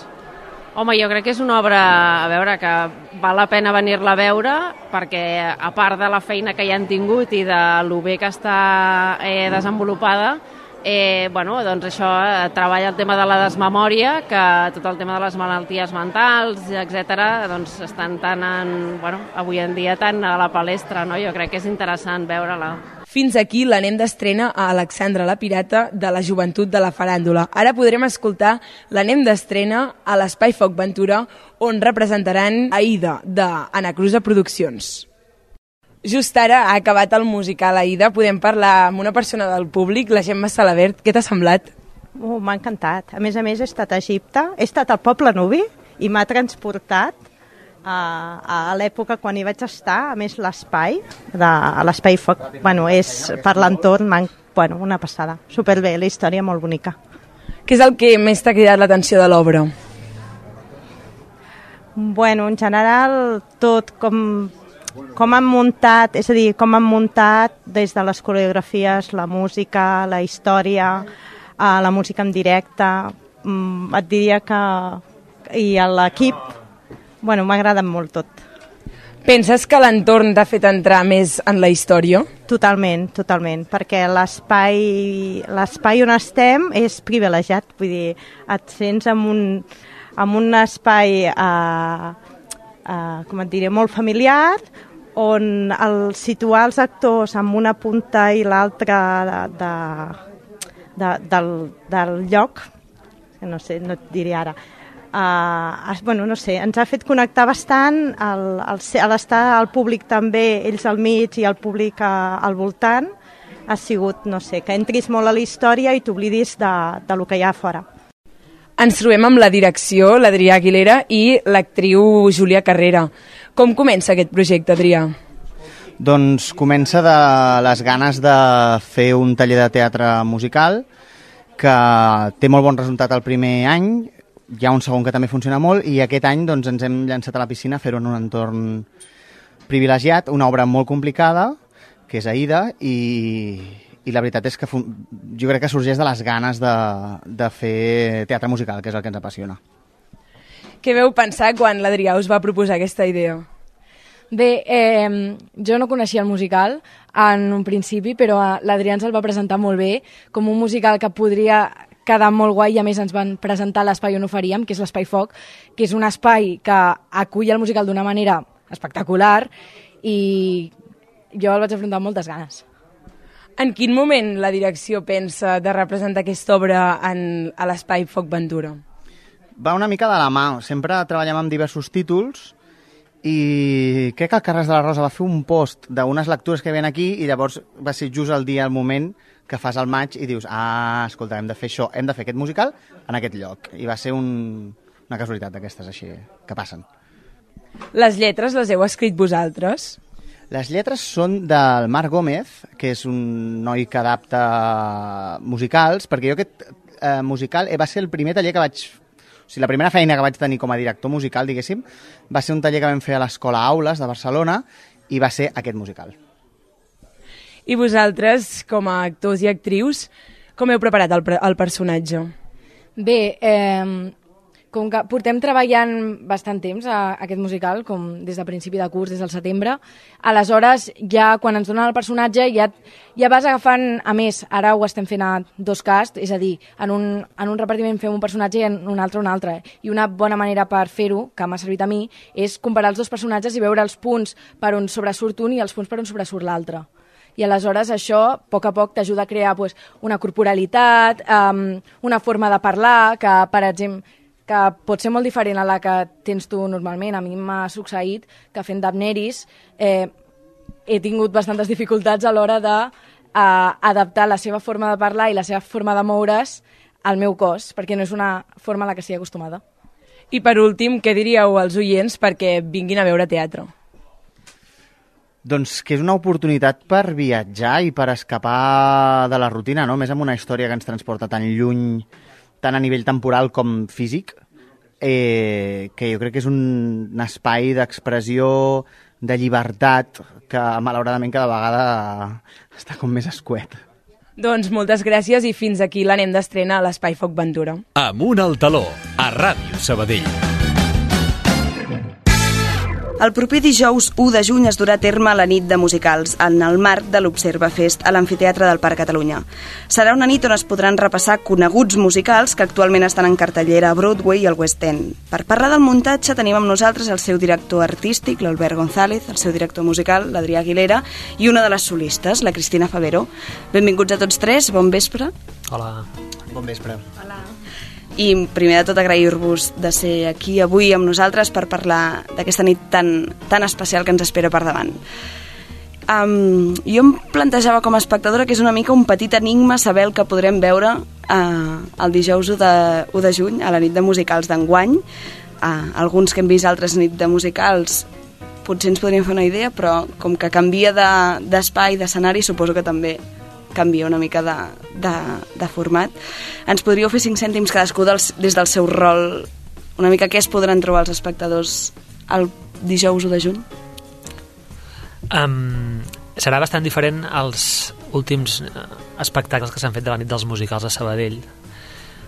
Home, jo crec que és una obra, a veure, que val la pena venir-la a veure, perquè a part de la feina que hi han tingut i de lo bé que està eh, desenvolupada, Eh, bueno, doncs això, eh, treballa el tema de la desmemòria, que tot el tema de les malalties mentals, etcètera, doncs estan tan en, bueno, avui en dia tan a la palestra, no? Jo crec que és interessant veure-la. Fins aquí l'anem d'estrena a Alexandra la Pirata de la Joventut de la Faràndula. Ara podrem escoltar l'anem d'estrena a l'Espai Foc Ventura, on representaran Aida, d'Anacruza Produccions. Just ara ha acabat el musical Aida, podem parlar amb una persona del públic, la Gemma Salabert. Què t'ha semblat? Oh, m'ha encantat. A més a més he estat a Egipte, he estat al poble nubi i m'ha transportat a, a l'època quan hi vaig estar, a més l'espai, de, l'espai foc, bueno, és per l'entorn, bueno, una passada, superbé, la història molt bonica. Què és el que més t'ha cridat l'atenció de l'obra? Bueno, en general tot com... com han muntat, és a dir, com han muntat des de les coreografies, la música, la història, la música en directe. Et diria que i l'equip, bueno, m'ha agradat molt tot. Penses que l'entorn t'ha fet entrar més en la història? Totalment, totalment, perquè l'espai l'espai on estem és privilegiat, vull dir, et sents en un, en un espai, eh, eh, com et diré, molt familiar, on el situar els actors en una punta i l'altra de, de, de, del, del lloc, no sé, no et diré ara, Uh, bueno, no sé, ens ha fet connectar bastant el, el, el estar al públic també, ells al mig i el públic a, al voltant, ha sigut, no sé, que entris molt a la història i t'oblidis de, de lo que hi ha a fora. Ens trobem amb la direcció, l'Adrià Aguilera, i l'actriu Júlia Carrera. Com comença aquest projecte, Adrià? Doncs comença de les ganes de fer un taller de teatre musical que té molt bon resultat el primer any. Hi ha un segon que també funciona molt i aquest any doncs, ens hem llançat a la piscina a fer-ho en un entorn privilegiat, una obra molt complicada, que és Aida, i, i la veritat és que jo crec que sorgeix de les ganes de, de fer teatre musical, que és el que ens apassiona. Què veu pensar quan l'Adrià us va proposar aquesta idea? Bé, eh, jo no coneixia el musical en un principi, però l'Adrià ens el va presentar molt bé, com un musical que podria quedar molt guai, i a més ens van presentar l'espai on ho faríem, que és l'Espai Foc, que és un espai que acull el musical d'una manera espectacular i jo el vaig afrontar amb moltes ganes. En quin moment la direcció pensa de representar aquesta obra en, a l'Espai Foc Ventura? Va una mica de la mà. Sempre treballem amb diversos títols i crec que el Carles de la Rosa va fer un post d'unes lectures que hi havia aquí i llavors va ser just el dia, el moment que fas el maig i dius, ah, escolta, hem de fer això, hem de fer aquest musical en aquest lloc. I va ser un, una casualitat d'aquestes així que passen. Les lletres les heu escrit vosaltres? Les lletres són del Marc Gómez, que és un noi que adapta musicals, perquè jo aquest eh, musical eh, va ser el primer taller que vaig... O sigui, la primera feina que vaig tenir com a director musical, diguéssim, va ser un taller que vam fer a l'Escola Aules de Barcelona i va ser aquest musical. I vosaltres, com a actors i actrius, com heu preparat el, el personatge? Bé, eh, com que portem treballant bastant temps a, a aquest musical, com des de principi de curs, des del setembre, aleshores ja quan ens donen el personatge ja, ja vas agafant, a més, ara ho estem fent a dos casts, és a dir, en un, en un repartiment fem un personatge i en un altre un altre. I una bona manera per fer-ho, que m'ha servit a mi, és comparar els dos personatges i veure els punts per on sobresurt un i els punts per on sobresurt l'altre. I aleshores això, a poc a poc, t'ajuda a crear pues, una corporalitat, um, una forma de parlar, que, per exemple, que pot ser molt diferent a la que tens tu normalment. A mi m'ha succeït que fent d'Abneris eh, he tingut bastantes dificultats a l'hora d'adaptar uh, la seva forma de parlar i la seva forma de moure's al meu cos, perquè no és una forma a la que estic acostumada. I per últim, què diríeu als oients perquè vinguin a veure teatre? Doncs que és una oportunitat per viatjar i per escapar de la rutina, no? Més amb una història que ens transporta tan lluny, tant a nivell temporal com físic, eh, que jo crec que és un espai d'expressió, de llibertat, que malauradament cada vegada està com més escuet. Doncs moltes gràcies i fins aquí l'anem d'estrena a l'Espai Foc Ventura. Amunt al taló, a Ràdio Sabadell. El proper dijous u de juny es durà a terme la nit de musicals, en el marc de l'Observa Fest a l'Amfiteatre del Parc Catalunya. Serà una nit on es podran repassar coneguts musicals que actualment estan en cartellera a Broadway i al West End. Per parlar del muntatge tenim amb nosaltres el seu director artístic, l'Albert González, el seu director musical, l'Adrià Aguilera, i una de les solistes, la Cristina Favero. Benvinguts a tots tres, bon vespre. Hola. Bon vespre. Hola. I primer de tot agrair-vos de ser aquí avui amb nosaltres per parlar d'aquesta nit tan, tan especial que ens espera per davant. Um, jo em plantejava com a espectadora que és una mica un petit enigma saber el que podrem veure uh, el dijous u de juny a la nit de musicals d'enguany. Uh, alguns que hem vist altres nits de musicals potser ens podríem fer una idea, però com que canvia d'espai, de, d'escenari, suposo que també canvia una mica de, de, de format. Ens podríeu fer cinc cèntims cadascú dels, des del seu rol, una mica què es podran trobar els espectadors el dijous u de juny? Um, serà bastant diferent als últims espectacles que s'han fet de la nit dels musicals a Sabadell.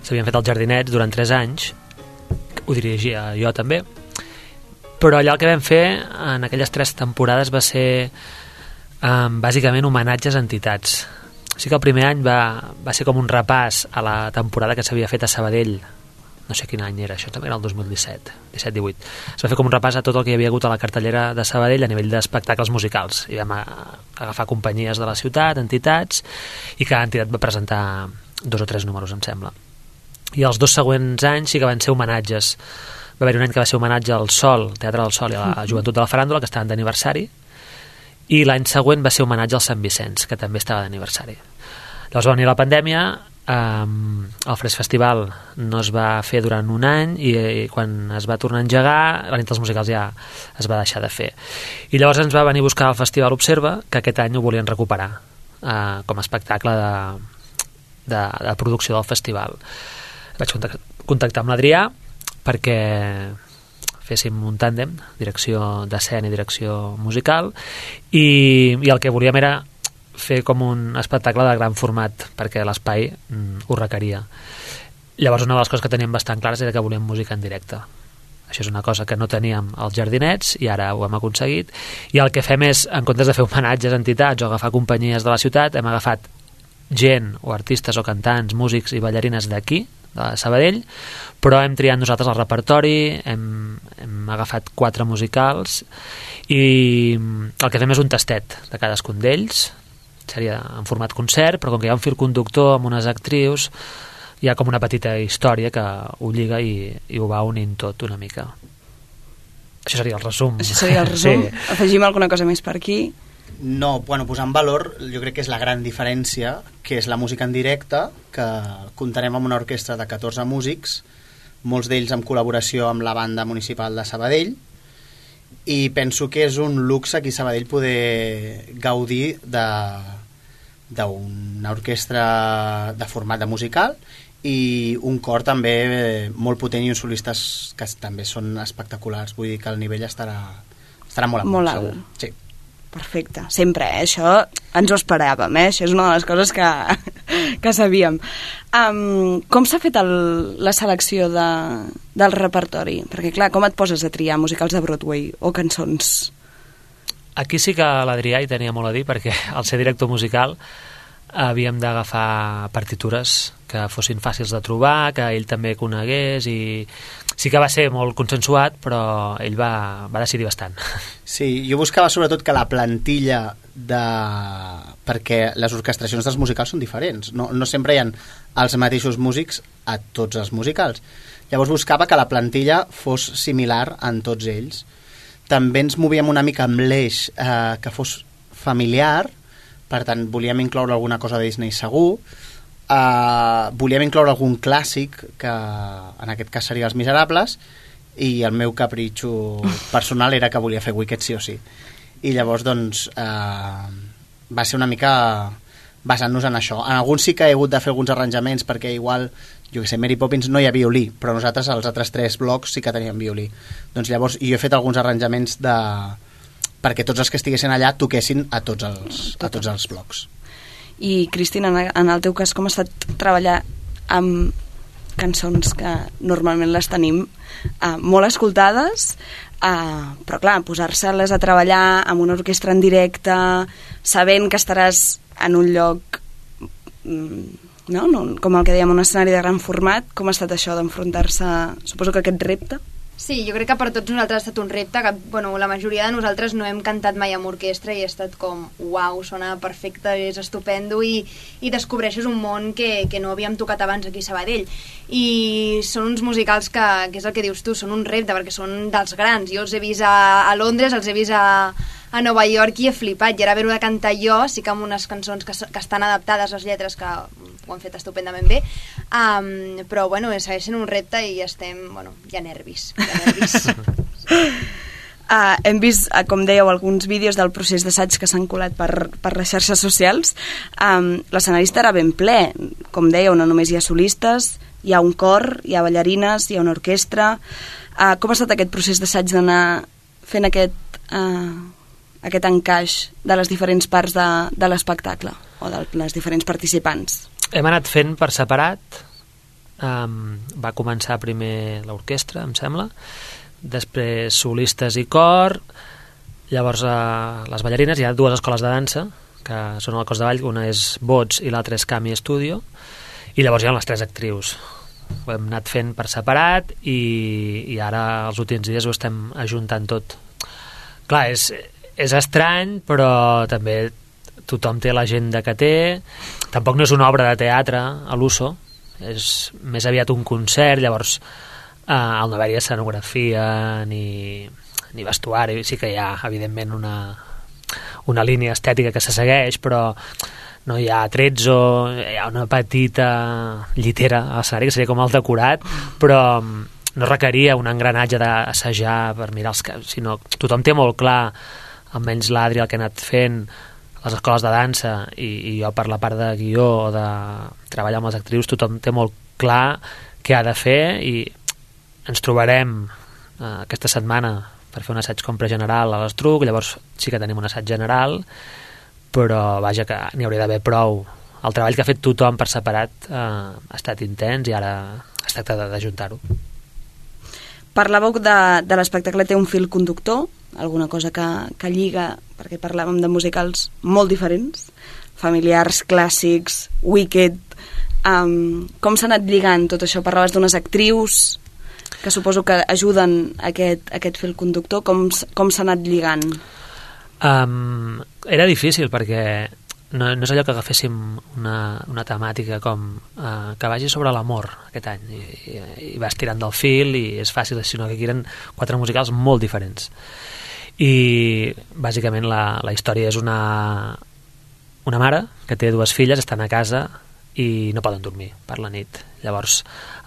S'havien fet als Jardinets durant tres anys, ho dirigia jo també, però allò que vam fer en aquelles tres temporades va ser um, bàsicament homenatges a entitats. Sí que el primer any va, va ser com un repàs a la temporada que s'havia fet a Sabadell, no sé quin any era, això també era el dos mil disset, disset divuit. Es va fer com un repàs a tot el que hi havia hagut a la cartellera de Sabadell a nivell d'espectacles musicals, i vam agafar companyies de la ciutat, entitats, i cada entitat va presentar dos o tres números, em sembla. I els dos següents anys sí que van ser homenatges. Va haver un any que va ser homenatge al Sol, al Teatre del Sol i a la Joventut de la Faràndula, que estaven d'aniversari, i l'any següent va ser homenatge al Sant Vicenç, que també estava d'aniversari. Llavors va venir la pandèmia, um, el Fresc Festival no es va fer durant un any, i, i quan es va tornar a engegar, la nit dels musicals ja es va deixar de fer. I llavors ens va venir a buscar el Festival Observa, que aquest any ho volien recuperar uh, com a espectacle de, de, de producció del festival. Vaig contactar amb l'Adrià perquè féssim un tàndem, direcció d'escena i direcció musical, i, i el que volíem era fer com un espectacle de gran format, perquè l'espai mm, ho requeria. Llavors una de les coses que teníem bastant clares era que volíem música en directe. Això és una cosa que no teníem als jardinets i ara ho hem aconseguit, i el que fem és, en comptes de fer homenatges a entitats o agafar companyies de la ciutat, hem agafat gent o artistes o cantants, músics i ballarines d'aquí, de Sabadell, però hem triat nosaltres el repertori, hem, hem agafat quatre musicals, i el que fem és un tastet de cadascun d'ells, seria en format concert, però com que hi ha un fil conductor amb unes actrius, hi ha com una petita història que ho lliga i, i ho va unint tot una mica. Això seria el resum. Això seria el resum. Sí. Afegim alguna cosa més per aquí? No, bueno, posar en valor jo crec que és la gran diferència, que és la música en directe, que comptarem amb una orquestra de catorze músics, molts d'ells en col·laboració amb la banda municipal de Sabadell, i penso que és un luxe aquí a Sabadell poder gaudir d'una orquestra de format de musical i un cor també molt potent i uns solistes que també són espectaculars. Vull dir que el nivell estarà, estarà molt amunt, molt segur. alt. Sí. Perfecte, sempre, eh? Això ens ho esperàvem, eh? Això és una de les coses que, que sabíem. Um, com s'ha fet el, la selecció de, del repertori? Perquè, clar, com et poses a triar musicals de Broadway o cançons? Aquí sí que l'Adrià hi tenia molt a dir, perquè al ser director musical havíem d'agafar partitures que fossin fàcils de trobar, que ell també conegués, i sí que va ser molt consensuat, però ell va, va decidir bastant. Sí, jo buscava sobretot que la plantilla de... perquè les orquestracions dels musicals són diferents, no, no sempre hi ha els mateixos músics a tots els musicals. Llavors buscava que la plantilla fos similar en tots ells. També ens movíem una mica amb l'eix eh, que fos familiar, per tant volíem incloure alguna cosa de Disney segur, uh, volíem incloure algun clàssic, que en aquest cas seria Els Miserables, i el meu capritxo personal era que volia fer Wicked sí o sí. I llavors doncs uh, va ser una mica basant-nos en això. En alguns sí que he hagut de fer alguns arranjaments, perquè igual, jo que sé, Mary Poppins no hi ha violí, però nosaltres als altres tres blocs sí que teníem violí. Doncs llavors jo he fet alguns arranjaments de... perquè tots els que estiguessin allà toquessin a tots els, a tots els blocs. I, Cristina, en el teu cas, com ha estat treballar amb cançons que normalment les tenim uh, molt escoltades, uh, però clar, posar-se-les a treballar amb una orquestra en directe, sabent que estaràs en un lloc, no? No, com el que dèiem, un escenari de gran format, com ha estat això d'enfrontar-se, suposo que aquest repte? Sí, jo crec que per tots nosaltres ha estat un repte que, bueno, la majoria de nosaltres no hem cantat mai amb orquestra i ha estat com, uau, sona perfecte, és estupendo, i, i descobreixes un món que, que no havíem tocat abans aquí a Sabadell. I són uns musicals que, que és el que dius tu, són un repte perquè són dels grans. Jo els he vist a, a Londres, els he vist a, a Nova York i he flipat, i ara haver-ho de cantar jo, sí que amb unes cançons que, que estan adaptades les lletres, que ho han fet estupendament bé, um, però bueno, segueix sent un repte i estem, bueno, hi ha nervis, hi ha nervis. Uh, hem vist, uh, com dèieu, alguns vídeos del procés d'assaig que s'han colat per, per les xarxes socials. Um, l'escenari estarà ben ple, com dèieu, no només hi ha solistes, hi ha un cor, hi ha ballarines, hi ha una orquestra. Uh, com ha estat aquest procés d'assaig d'anar fent aquest, uh, aquest encaix de les diferents parts de, de l'espectacle o de les diferents participants? Hem anat fent per separat, um, va començar primer l'orquestra, em sembla, després solistes i cor, llavors uh, les ballarines, hi ha dues escoles de dansa, que són al Cos de Ball, una és Bots i l'altra és Cami Studio, i llavors hi ha les tres actrius. Ho hem anat fent per separat i, i ara els últims dies ho estem ajuntant tot. Clar, és, és estrany, però també tothom té l'agenda que té. Tampoc no és una obra de teatre a l'Uso, és més aviat un concert, llavors eh, al no haver-hi escenografia ni, ni vestuari, sí que hi ha evidentment una una línia estètica que se segueix, però no hi ha tretzo, hi ha una petita llitera a l'escenari, que seria com el decorat, però no requeria un engranatge d'assajar per mirar els caps, sinó tothom té molt clar, almenys l'Adri el que ha anat fent, les escoles de dansa, i, i jo per la part de guió o de treballar amb les actrius, tothom té molt clar què ha de fer, i ens trobarem eh, aquesta setmana per fer un assaig com pregeneral a l'Estruc, llavors sí que tenim un assaig general, però vaja que n'hi hauria d'haver prou. El treball que ha fet tothom per separat eh, ha estat intens i ara es tracta d'ajuntar-ho. Parlàveu de, de l'espectacle té un fil conductor, alguna cosa que, que lliga, perquè parlàvem de musicals molt diferents, familiars, clàssics, Wicked, um, com s'ha anat lligant tot això? Parlaves d'unes actrius que suposo que ajuden aquest, aquest fil conductor, com, com s'ha anat lligant? Um, era difícil perquè no, no és allò que agaféssim una, una temàtica com uh, que vagi sobre l'amor aquest any i, i, i vas tirant del fil i és fàcil, sinó que aquí eren quatre musicals molt diferents i bàsicament la, la història és una, una mare que té dues filles, estan a casa i no poden dormir per la nit, llavors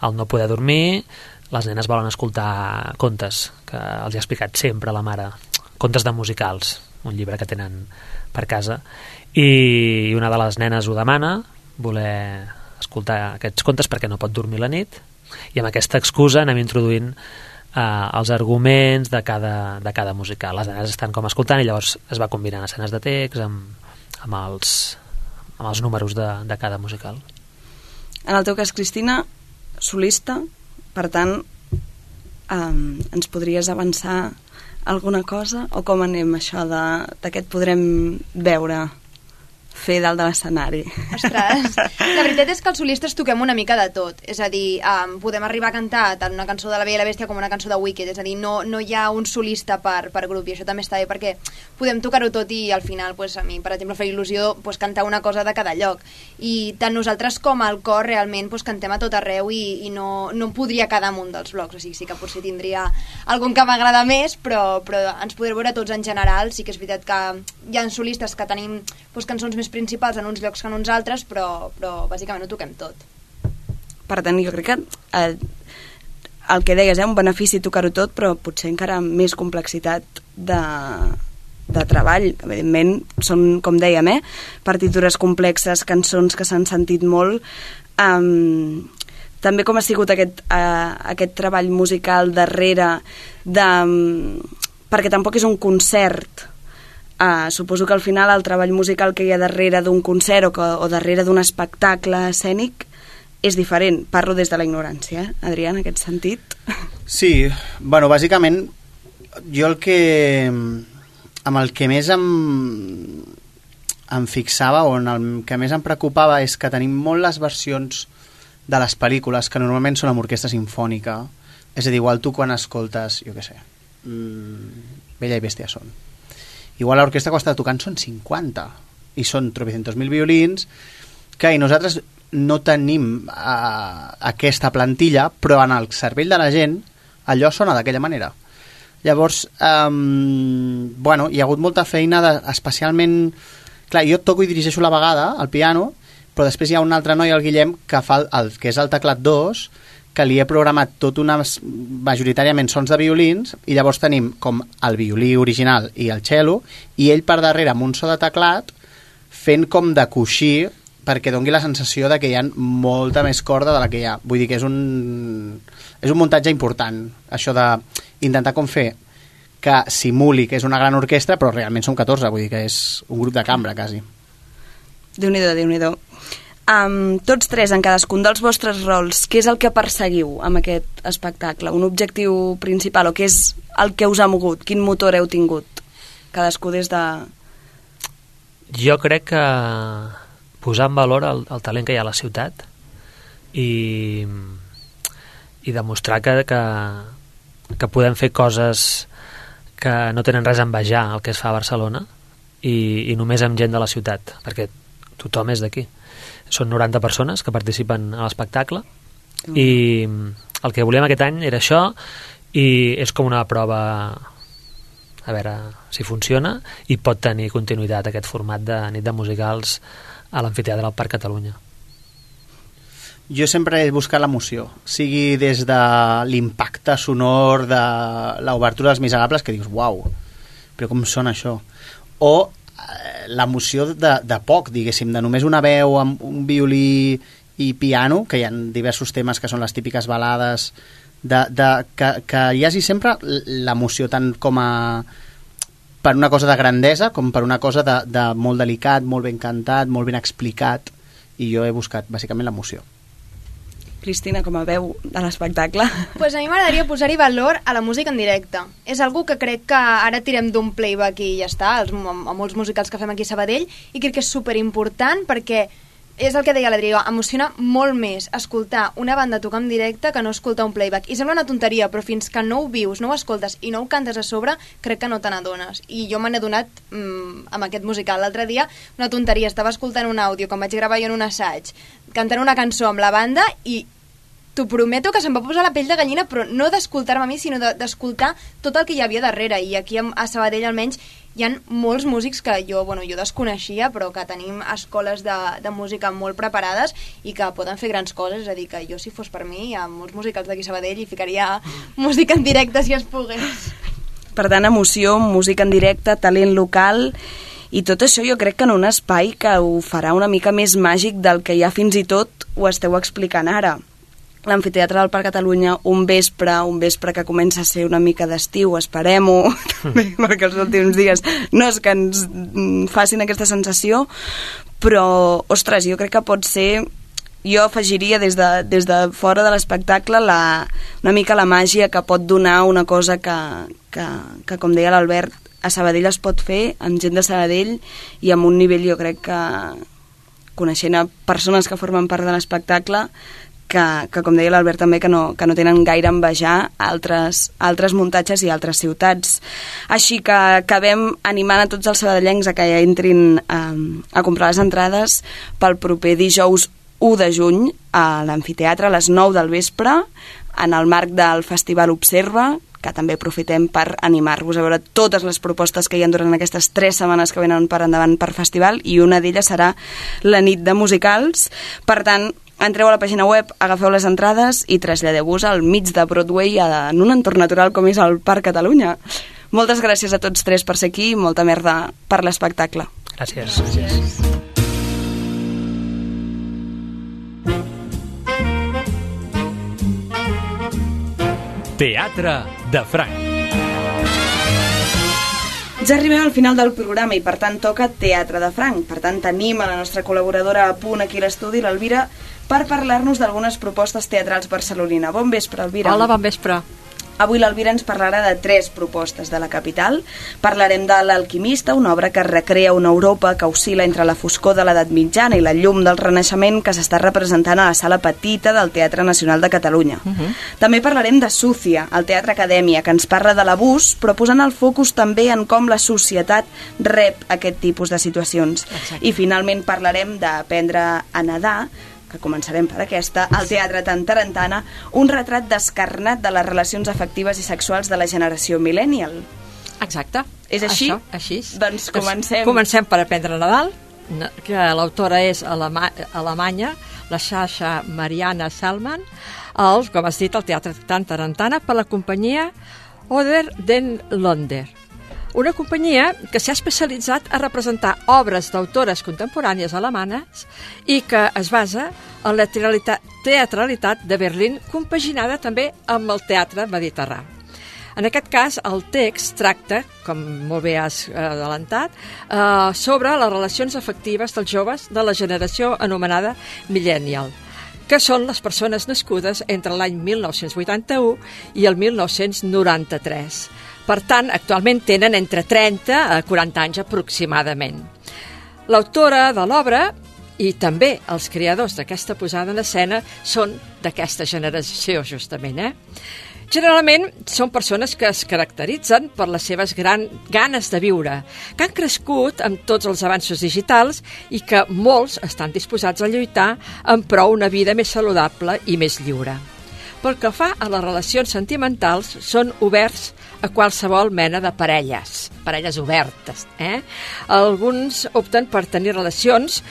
al no poder dormir les nenes volen escoltar contes que els ha explicat sempre la mare, contes de musicals, un llibre que tenen per casa, i una de les nenes ho demana, voler escoltar aquests contes perquè no pot dormir la nit, i amb aquesta excusa anem introduint eh, els arguments de cada, de cada musical. Les nenes estan com escoltant i llavors es va combinant escenes de text amb, amb, els, amb els números de, de cada musical. En el teu cas, Cristina, solista, per tant, um, ens podries avançar alguna cosa? O com anem això de, de què et podrem veure fer dalt de l'escenari? Ostres, la veritat és que els solistes toquem una mica de tot, és a dir, um, podem arribar a cantar tant una cançó de La Bella i la Bèstia com una cançó de Wicked, és a dir, no, no hi ha un solista per, per grup, i això també està bé perquè podem tocar-ho tot i al final, pues, a mi, per exemple, fa il·lusió pues, cantar una cosa de cada lloc, i tant nosaltres com el cor realment pues, cantem a tot arreu i, i no, no podria quedar en un dels blocs, o sigui, sí que potser tindria algun que m'agrada més, però, però ens podreu veure tots en general. Sí que és veritat que hi ha solistes que tenim pues, cançons més principals en uns llocs que en uns altres, però, però bàsicament ho toquem tot. Per tant, jo crec que eh, el que deies, eh, un benefici tocar-ho tot, però potser encara més complexitat de, de treball. Evidentment, són, com dèiem, eh, partitures complexes, cançons que s'han sentit molt. Um, també com ha sigut aquest, uh, aquest treball musical darrere de... Um, perquè tampoc és un concert. Uh, suposo que al final el treball musical que hi ha darrere d'un concert o, que, o darrere d'un espectacle escènic és diferent. Parlo des de la ignorància, eh, Adrià, en aquest sentit. Sí, bueno, bàsicament jo el que amb el que més em em fixava o en el que més em preocupava és que tenim molt les versions de les pel·lícules que normalment són amb orquestra simfònica, és a dir, igual tu quan escoltes, jo què sé, mmm, Bella i Bèstia són, igual l'orquestra que està tocant són cinquanta i són tropecientos mil violins que i nosaltres no tenim uh, aquesta plantilla, però en el cervell de la gent allò sona d'aquella manera. Llavors um, bueno, hi ha hagut molta feina de, especialment, clar, jo toco i dirigeixo la vegada al piano, però després hi ha un altre noi, el Guillem, que fa el, el que és el teclat dos, que li he programat tot unes, majoritàriament sons de violins, i llavors tenim com el violí original i el cello, i ell per darrere amb un so de teclat fent com de coixí perquè doni la sensació de que hi ha molta més corda de la que hi ha. Vull dir que és un, és un muntatge important, això d'intentar com fer que simuli que és una gran orquestra, però realment som catorze, vull dir que és un grup de cambra, quasi. Déu-n'hi-do, Déu-n'hi-do. Amb tots tres, en cadascun dels vostres rols, què és el que perseguiu amb aquest espectacle? Un objectiu principal, o què és el que us ha mogut? Quin motor heu tingut? Cadascú des de... Jo crec que posar en valor el, el talent que hi ha a la ciutat i, i demostrar que, que, que podem fer coses que no tenen res a envejar el que es fa a Barcelona i, i només amb gent de la ciutat, perquè tothom és d'aquí. Són noranta persones que participen a l'espectacle mm. i el que volíem aquest any era això i és com una prova a veure si funciona i pot tenir continuïtat aquest format de nit de musicals a l'amfiteatre del Parc Catalunya. Jo sempre he buscat l'emoció, sigui des de l'impacte sonor de l'obertura dels Miserables, que dius, uau, però com sona això? O l'emoció de, de poc, diguéssim, de només una veu amb un violí i piano, que hi ha diversos temes que són les típiques balades, de, de, que, que hi hagi sempre l'emoció tant com a per una cosa de grandesa com per una cosa de, de molt delicat, molt ben cantat, molt ben explicat, i jo he buscat bàsicament l'emoció. Cristina, com a veu de l'espectacle. Pues a mi m'agradaria posar-hi valor a la música en directe. És algo que crec que ara tirem d'un playback i ja està, els, a molts musicals que fem aquí a Sabadell, i crec que és superimportant perquè és el que deia l'Adrià, emociona molt més escoltar una banda tocar en directe que no escoltar un playback. I sembla una tonteria, però fins que no ho vius, no ho escoltes i no ho cantes a sobre, crec que no te n'adones. I jo me n'he donat mmm, amb aquest musical. L'altre dia, una tonteria, estava escoltant un àudio, com vaig gravar jo en un assaig, cantant una cançó amb la banda i t'ho prometo que se'm va posar la pell de gallina, però no d'escoltar-me a mi, sinó d'escoltar tot el que hi havia darrere. I aquí a Sabadell almenys hi ha molts músics que jo, bueno, jo desconeixia, però que tenim escoles de, de música molt preparades i que poden fer grans coses. És a dir, que jo, si fos per mi, a molts musicals d'aquí a Sabadell hi ficaria música en directe si es pogués. Per tant, emoció, música en directe, talent local... I tot això jo crec que en un espai que ho farà una mica més màgic del que ja fins i tot ho esteu explicant ara. L'Amfiteatre del Parc Catalunya, un vespre, un vespre que comença a ser una mica d'estiu, esperem-ho, perquè els últims dies no és que ens facin aquesta sensació, però, ostres, jo crec que pot ser... Jo afegiria des de, des de fora de l'espectacle la, una mica la màgia que pot donar una cosa que, que, que com deia l'Albert, a Sabadell es pot fer, amb gent de Sabadell i amb un nivell, jo crec que, coneixent a persones que formen part de l'espectacle, que, que com deia l'Albert també, que no, que no tenen gaire a envejar altres, altres muntatges i altres ciutats. Així que acabem animant a tots els sabadellencs a que ja entrin a, a comprar les entrades pel proper dijous u de juny a l'amfiteatre a les nou del vespre, en el marc del Festival Observa, que també aprofitem per animar-vos a veure totes les propostes que hi ha durant aquestes tres setmanes que venen per endavant per festival, i una d'elles serà la nit de musicals. Per tant, entreu a la pàgina web, agafeu les entrades i traslladeu-vos al mig de Broadway en un entorn natural com és el Parc Catalunya. Moltes gràcies a tots tres per ser aquí i molta merda per l'espectacle. Gràcies. Gràcies. Teatre de Franc. Ja arribem al final del programa i per tant toca Teatre de Franc. Per tant tenim a la nostra col·laboradora a punt aquí a l'estudi, l'Elvira, per parlar-nos d'algunes propostes teatrals barcelonina. Bon vespre, Elvira. Hola, bon vespre. Avui l'Elvira ens parlarà de tres propostes de la capital. Parlarem de L'Alquimista, una obra que recrea una Europa que oscil·la entre la foscor de l'edat mitjana i la llum del Renaixement, que s'està representant a la sala petita del Teatre Nacional de Catalunya. Uh -huh. També parlarem de Súcia, el Teatre Acadèmia, que ens parla de l'abús, però posant el focus també en com la societat rep aquest tipus de situacions. Exacte. I finalment parlarem d'Aprendre a nedar, que començarem per aquesta, al Teatre Tantarantana, un retrat descarnat de les relacions afectives i sexuals de la generació millennial. Exacte. És així? Això, així. Doncs comencem. Comencem per Aprendre a Nadal, que l'autora és alema alemanya, la Sasha Mariana Salman, el, com has dit, el Teatre Tantarantana, per la companyia Oder den Londer. Una companyia que s'ha especialitzat a representar obres d'autores contemporànies alemanes i que es basa en la teatralitat, teatralitat de Berlín, compaginada també amb el teatre mediterrani. En aquest cas, el text tracta, com molt bé has adelantat, eh, sobre les relacions afectives dels joves de la generació anomenada millennial, que són les persones nascudes entre l'any mil nou-cents vuitanta-u i el mil nou-cents noranta-tres. Per tant, actualment tenen entre trenta a quaranta anys aproximadament. L'autora de l'obra i també els creadors d'aquesta posada en escena són d'aquesta generació, justament. Eh? Generalment són persones que es caracteritzen per les seves gran ganes de viure, que han crescut amb tots els avanços digitals i que molts estan disposats a lluitar en pro una vida més saludable i més lliure. Pel que fa a les relacions sentimentals, són oberts a qualsevol mena de parelles, parelles obertes. Eh? Alguns opten per tenir relacions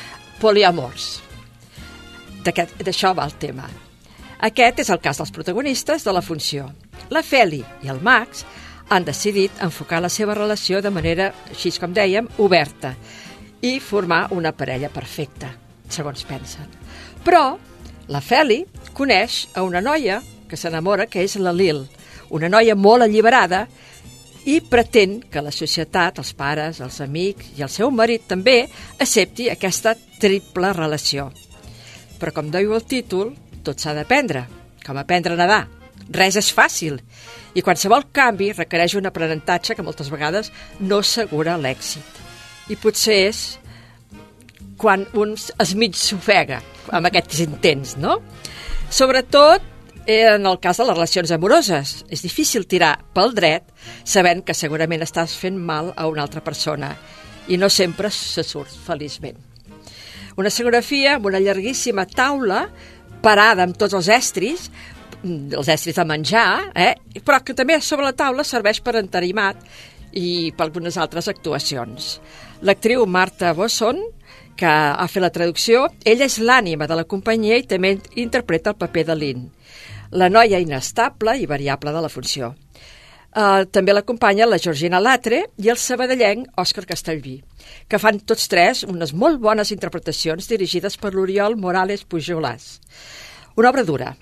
poliamors. D'això va el tema. Aquest és el cas dels protagonistes de la funció. La Feli i el Max han decidit enfocar la seva relació de manera, així com dèiem, oberta i formar una parella perfecta, segons pensen. Però la Feli coneix a una noia que s'enamora, que és la Lil, una noia molt alliberada, i pretén que la societat, els pares, els amics i el seu marit també accepti aquesta triple relació. Però com diu el títol, tot s'ha d'aprendre, com aprendre a nedar. Res és fàcil i qualsevol canvi requereix un aprenentatge que moltes vegades no assegura l'èxit. I potser és quan un es mig s'ofega amb aquests intents, no? Sobretot en el cas de les relacions amoroses. És difícil tirar pel dret sabent que segurament estàs fent mal a una altra persona i no sempre se surt feliçment. Una escenografia amb una llarguíssima taula parada amb tots els estris, els estris de menjar, eh? Però que també sobre la taula serveix per entarimat i per algunes altres actuacions. L'actriu Marta Bosson, que ha fet la traducció, ella és l'ànima de la companyia i també interpreta el paper de Lynn, la noia inestable i variable de la funció. Uh, també l'acompanya la Georgina Latre i el sabadellenc Òscar Castellví, que fan tots tres unes molt bones interpretacions dirigides per l'Oriol Morales Pujolàs. Una obra dura,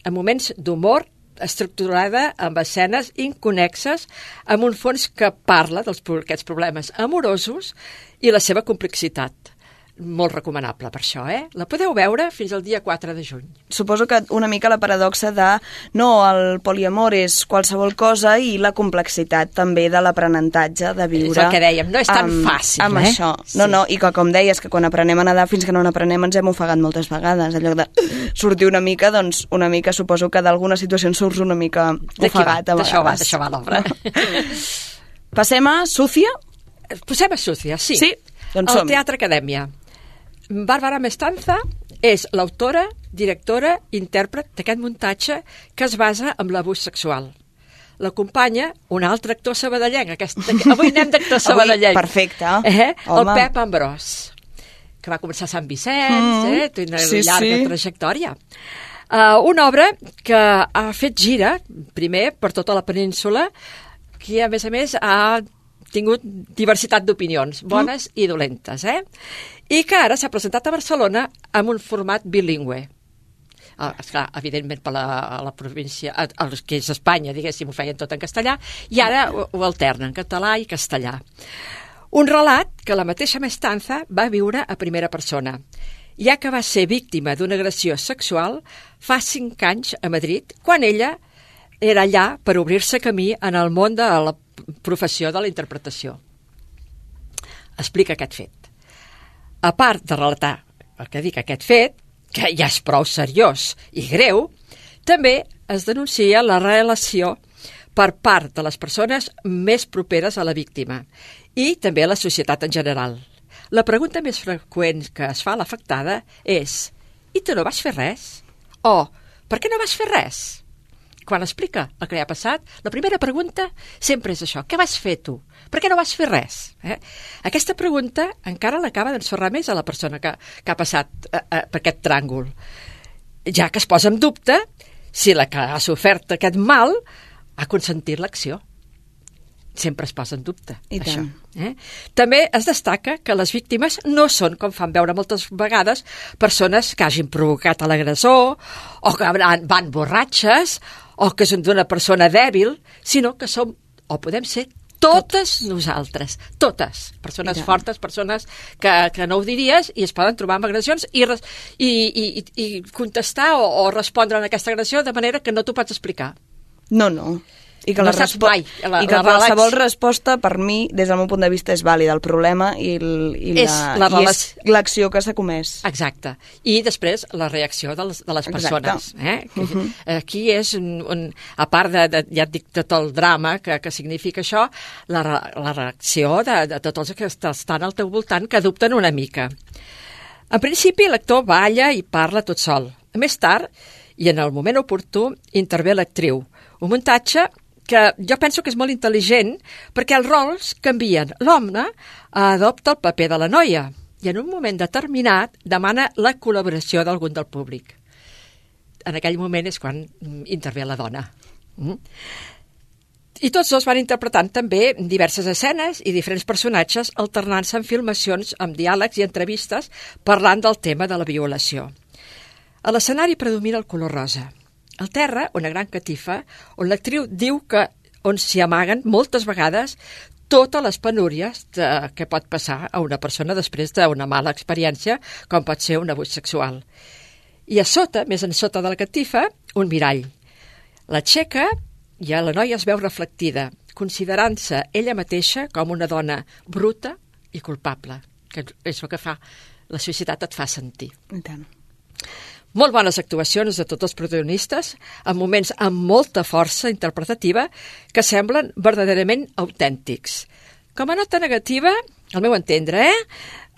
amb moments d'humor, estructurada amb escenes inconexes, amb un fons que parla d'aquests problemes amorosos i la seva complexitat. Molt recomanable per això, eh? La podeu veure fins al dia quatre de juny. Suposo que una mica la paradoxa de no, el poliamor és qualsevol cosa i la complexitat també de l'aprenentatge de viure. És el que dèiem, no és tan amb, fàcil, amb eh? això. Sí. No, no, i que com deies, que quan aprenem a nedar fins que no n'aprenem ens hem ofegat moltes vegades. En lloc de sortir una mica, doncs una mica suposo que d'alguna situació surts una mica ofegat a vegades. D'això va, d'això va l'obra. Passem a Súcia? Passem a Súcia, sí. Sí, doncs som. El Teatre Acadèmia. Bàrbara Mestanza és l'autora, directora, intèrpret d'aquest muntatge que es basa en l'abús sexual. L'acompanya un altre actor sabadellenc. Aquest, avui anem d'actor sabadellenc. Avui, perfecte. Eh? El Pep Ambrós, que va començar a Sant Vicenç, mm, eh? Té una sí, llarga sí. trajectòria. Uh, una obra que ha fet gira, primer, per tota la península, que a més a més ha tingut diversitat d'opinions, bones mm. i dolentes, eh? I que ara s'ha presentat a Barcelona amb un format bilingüe. Ah, esclar, evidentment per la, la província, el que és Espanya, diguéssim, ho feien tot en castellà, i ara ho, ho alternen, català i castellà. Un relat que la mateixa Mestanza va viure a primera persona, ja que va ser víctima d'una agressió sexual fa cinc anys a Madrid, quan ella era allà per obrir-se camí en el món de la professió de la interpretació. Explica aquest fet. A part de relatar el que dic aquest fet, que ja és prou seriós i greu, també es denuncia la relació per part de les persones més properes a la víctima i també a la societat en general. La pregunta més freqüent que es fa a l'afectada és: i tu no vas fer res? O per què no vas fer res? Quan explica el que li ha passat, la primera pregunta sempre és això: què vas fer tu? Per què no vas fer res? Eh? Aquesta pregunta encara l'acaba d'ensorrar més a la persona que, que ha passat eh, eh, per aquest tràngol, ja que es posa en dubte si la que ha sofert aquest mal ha consentit l'acció. Sempre es posa en dubte, I això. tant. Eh? També es destaca que les víctimes no són, com fan veure moltes vegades, persones que hagin provocat a l'agressor o que van, van borratxes o que són d'una persona dèbil, sinó que som, o podem ser, totes nosaltres, totes, persones Ja. fortes, persones que, que no ho diries i es poden trobar amb agressions i, res, i, i, i contestar o, o respondre a aquesta agressió de manera que no t'ho pots explicar. No, no. I que, No la saps respo- mai, la- I que la qualsevol relax- resposta, per mi, des del meu punt de vista, és vàlida. El problema i, el, i, És la, la i relac- és l'acció que s'ha comès. Exacte. I després la reacció de les, de les persones. Eh? Uh -huh. Aquí és, un, un, a part de, de, ja et dic, tot el drama que, que significa això, la, re- la reacció de, de tots els que est- estan al teu voltant, que dubten una mica. En principi, l'actor balla i parla tot sol. Més tard, i en el moment oportú, intervé l'actriu. Un muntatge que jo penso que és molt intel·ligent perquè els rols canvien. L'home adopta el paper de la noia i en un moment determinat demana la col·laboració d'algun del públic. En aquell moment és quan intervé la dona. Mm? I tots dos van interpretant també diverses escenes i diferents personatges alternant-se en filmacions amb diàlegs i entrevistes parlant del tema de la violació. A l'escenari predomina el color rosa. Al terra, una gran catifa, on l'actriu diu que on s'hi amaguen moltes vegades totes les penúries de, que pot passar a una persona després d'una mala experiència, com pot ser un abús sexual. I a sota, més en sota de la catifa, un mirall. L'aixeca i a la noia es veu reflectida, considerant-se ella mateixa com una dona bruta i culpable, que és el que fa la societat et fa sentir. I tant. Molt bones actuacions de tots els protagonistes, en moments amb molta força interpretativa que semblen verdaderament autèntics. Com a nota negativa, al meu entendre, eh,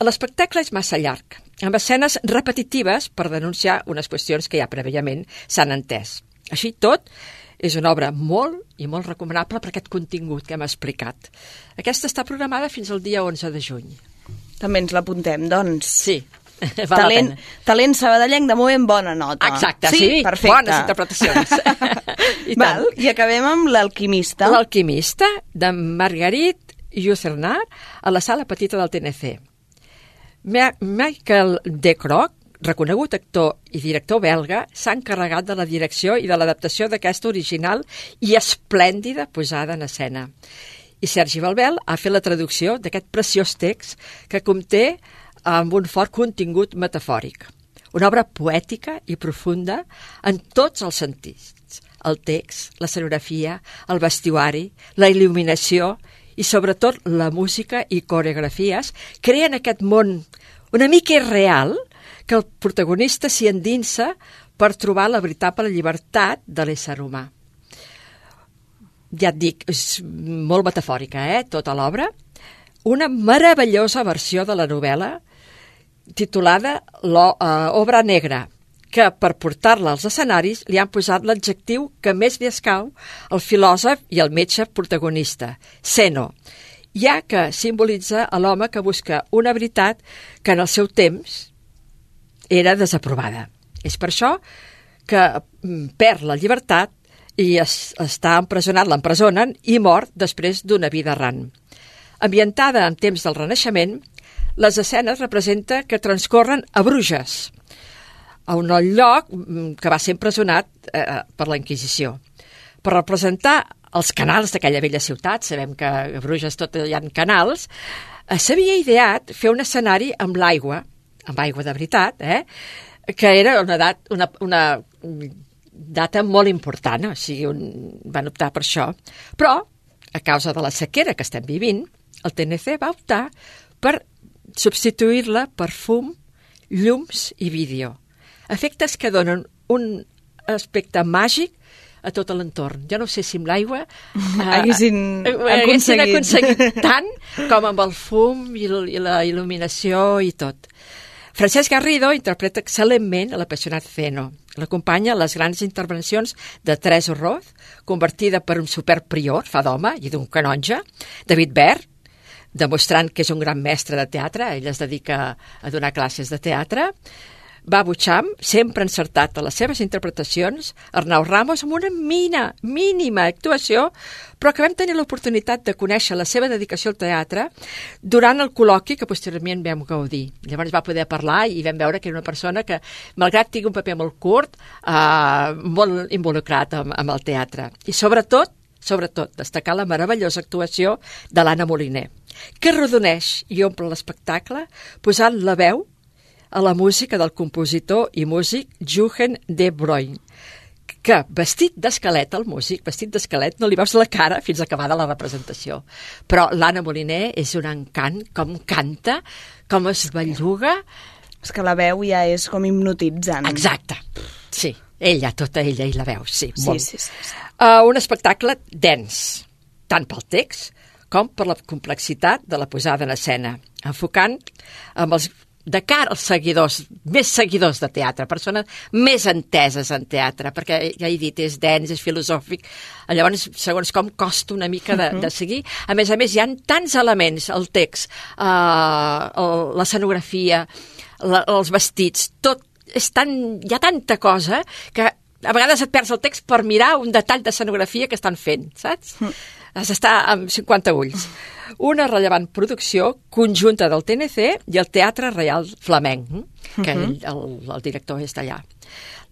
l'espectacle és massa llarg, amb escenes repetitives per denunciar unes qüestions que ja prèviament s'han entès. Així tot, és una obra molt i molt recomanable per aquest contingut que hem explicat. Aquesta està programada fins al dia onze de juny. També ens l'apuntem, doncs. Sí. Val Talent, la pena. talent sabadellenc de moment bona nota. Exacte, sí, perfecte. bones interpretacions. I, Val, I acabem amb l'Alquimista. L'Alquimista, de Marguerite Yourcenar, a la sala petita del T N C. Ma- Michael De Croc, reconegut actor i director belga, s'ha encarregat de la direcció i de l'adaptació d'aquesta original i esplèndida posada en escena. I Sergi Balbel ha fet la traducció d'aquest preciós text que conté amb un fort contingut metafòric. Una obra poètica i profunda en tots els sentits. El text, la escenografia, el vestuari, la il·luminació i sobretot la música i coreografies creen aquest món una mica irreal que el protagonista s'hi endinsa per trobar la veritable llibertat de l'ésser humà. Ja et dic, és molt metafòrica, eh, tota l'obra. Una meravellosa versió de la novel·la titulada L'Obra Negra, que per portar-la als escenaris li han posat l'adjectiu que més li escau al filòsof i al metge protagonista, Zeno, ja que simbolitza a l'home que busca una veritat que en el seu temps era desaprovada. És per això que perd la llibertat i es, està empresonat, l'empresonen i mor després d'una vida errant. Ambientada en temps del Renaixement, les escenes representen que transcorren a Bruges, a un lloc que va ser empresonat eh, per la Inquisició. Per representar els canals d'aquella vella ciutat, sabem que a Bruges tot hi ha canals, eh, s'havia ideat fer un escenari amb l'aigua, amb aigua de veritat, eh, que era una, dat, una, una data molt important, o sigui, un, van optar per això. Però, a causa de la sequera que estem vivint, el T N C va optar per substituir-la per fum, llums i vídeo. Efectes que donen un aspecte màgic a tot l'entorn. Jo no sé si amb l'aigua eh, haguessin haguessin aconseguit. aconseguit tant com amb el fum i, l- i la il·luminació i tot. Francesc Garrido interpreta excel·lentment l'apassionat Zeno. L'acompanya a les grans intervencions de Teresa Roth, convertida per un superprior, fa d'home, i d'un canonge, David Bert, demostrant que és un gran mestre de teatre, ell es dedica a donar classes de teatre, Babu Cham, sempre encertat a les seves interpretacions, Arnau Ramos amb una mina, mínima actuació, però que vam tenir l'oportunitat de conèixer la seva dedicació al teatre durant el col·loqui que posteriorment vam gaudir. Llavors va poder parlar i vam veure que era una persona que, malgrat tingui un paper molt curt, eh, molt involucrat amb, amb el teatre. I sobretot, sobretot, destacar la meravellosa actuació de l'Anna Moliner, que rodoneix i omple l'espectacle posant la veu a la música del compositor i músic Jochen de Bruyne, que vestit d'esquelet, el músic, vestit d'esquelet, no li veus la cara fins acabada la representació. Però l'Anna Moliner és un encant, com canta, com es belluga. És que la veu ja és com hipnotitzant. Exacte, sí. Ella, tota ella, i la veu, sí, sí, molt. Sí, sí, sí. Uh, un espectacle dens, tant pel text com per la complexitat de la posada en escena, enfocant amb els, de cara als seguidors, més seguidors de teatre, persones més enteses en teatre, perquè ja he dit, és dens, és filosòfic, llavors, segons com, costa una mica de, de seguir. A més a més, hi ha tants elements, el text, uh, l'escenografia, la, els vestits, tot, és tan, hi ha tanta cosa que a vegades et perds el text per mirar un detall d'escenografia que estan fent, saps? Mm. Has d'estar amb cinquanta ulls. Una rellevant producció conjunta del T N C i el Teatre Reial Flamenc, que mm-hmm. ell, el, el director és d'allà.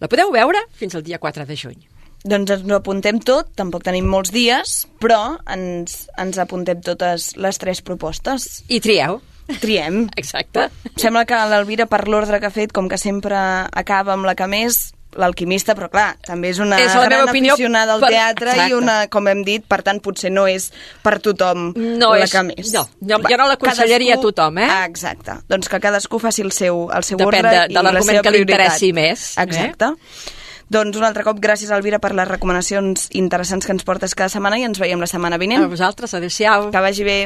La podeu veure fins al dia quatre de juny. Doncs ens ho apuntem tot, tampoc tenim molts dies, però ens, ens apuntem totes les tres propostes. I trieu. Triem. Exacte. Sembla que l'Elvira, per l'ordre que ha fet, com que sempre acaba amb la que més, l'Alquimista, però clar, també és una és gran aficionada al per... teatre Exacte. I una, com hem dit, per tant, potser no és per tothom no la és... que més. No, jo, jo no l'aconsellaria cadascú... a tothom, eh? Ah, exacte. Doncs que cadascú faci el seu, el seu Depèn ordre de, de i la seva que li prioritat. interessi més. Exacte. Eh? Doncs un altre cop, gràcies, Elvira, per les recomanacions interessants que ens portes cada setmana i ens veiem la setmana vinent. A vosaltres, adéu-siau. Que vagi bé.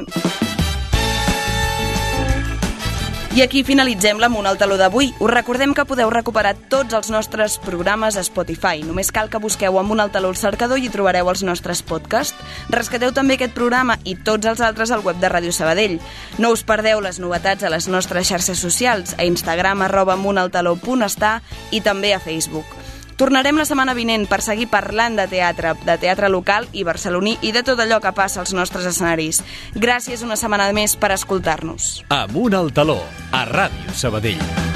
I aquí finalitzem la Munt al Taló d'avui. Us recordem que podeu recuperar tots els nostres programes a Spotify. Només cal que busqueu Munt al Taló al cercador i hi trobareu els nostres podcasts. Rescateu també aquest programa i tots els altres al web de Ràdio Sabadell. No us perdeu les novetats a les nostres xarxes socials, a Instagram, arroba muntaltaló punt està i també a Facebook. Tornarem la setmana vinent per seguir parlant de teatre, de teatre local i barceloní i de tot allò que passa als nostres escenaris. Gràcies una setmana més per escoltar-nos. Amunt al Taló, a Ràdio Sabadell.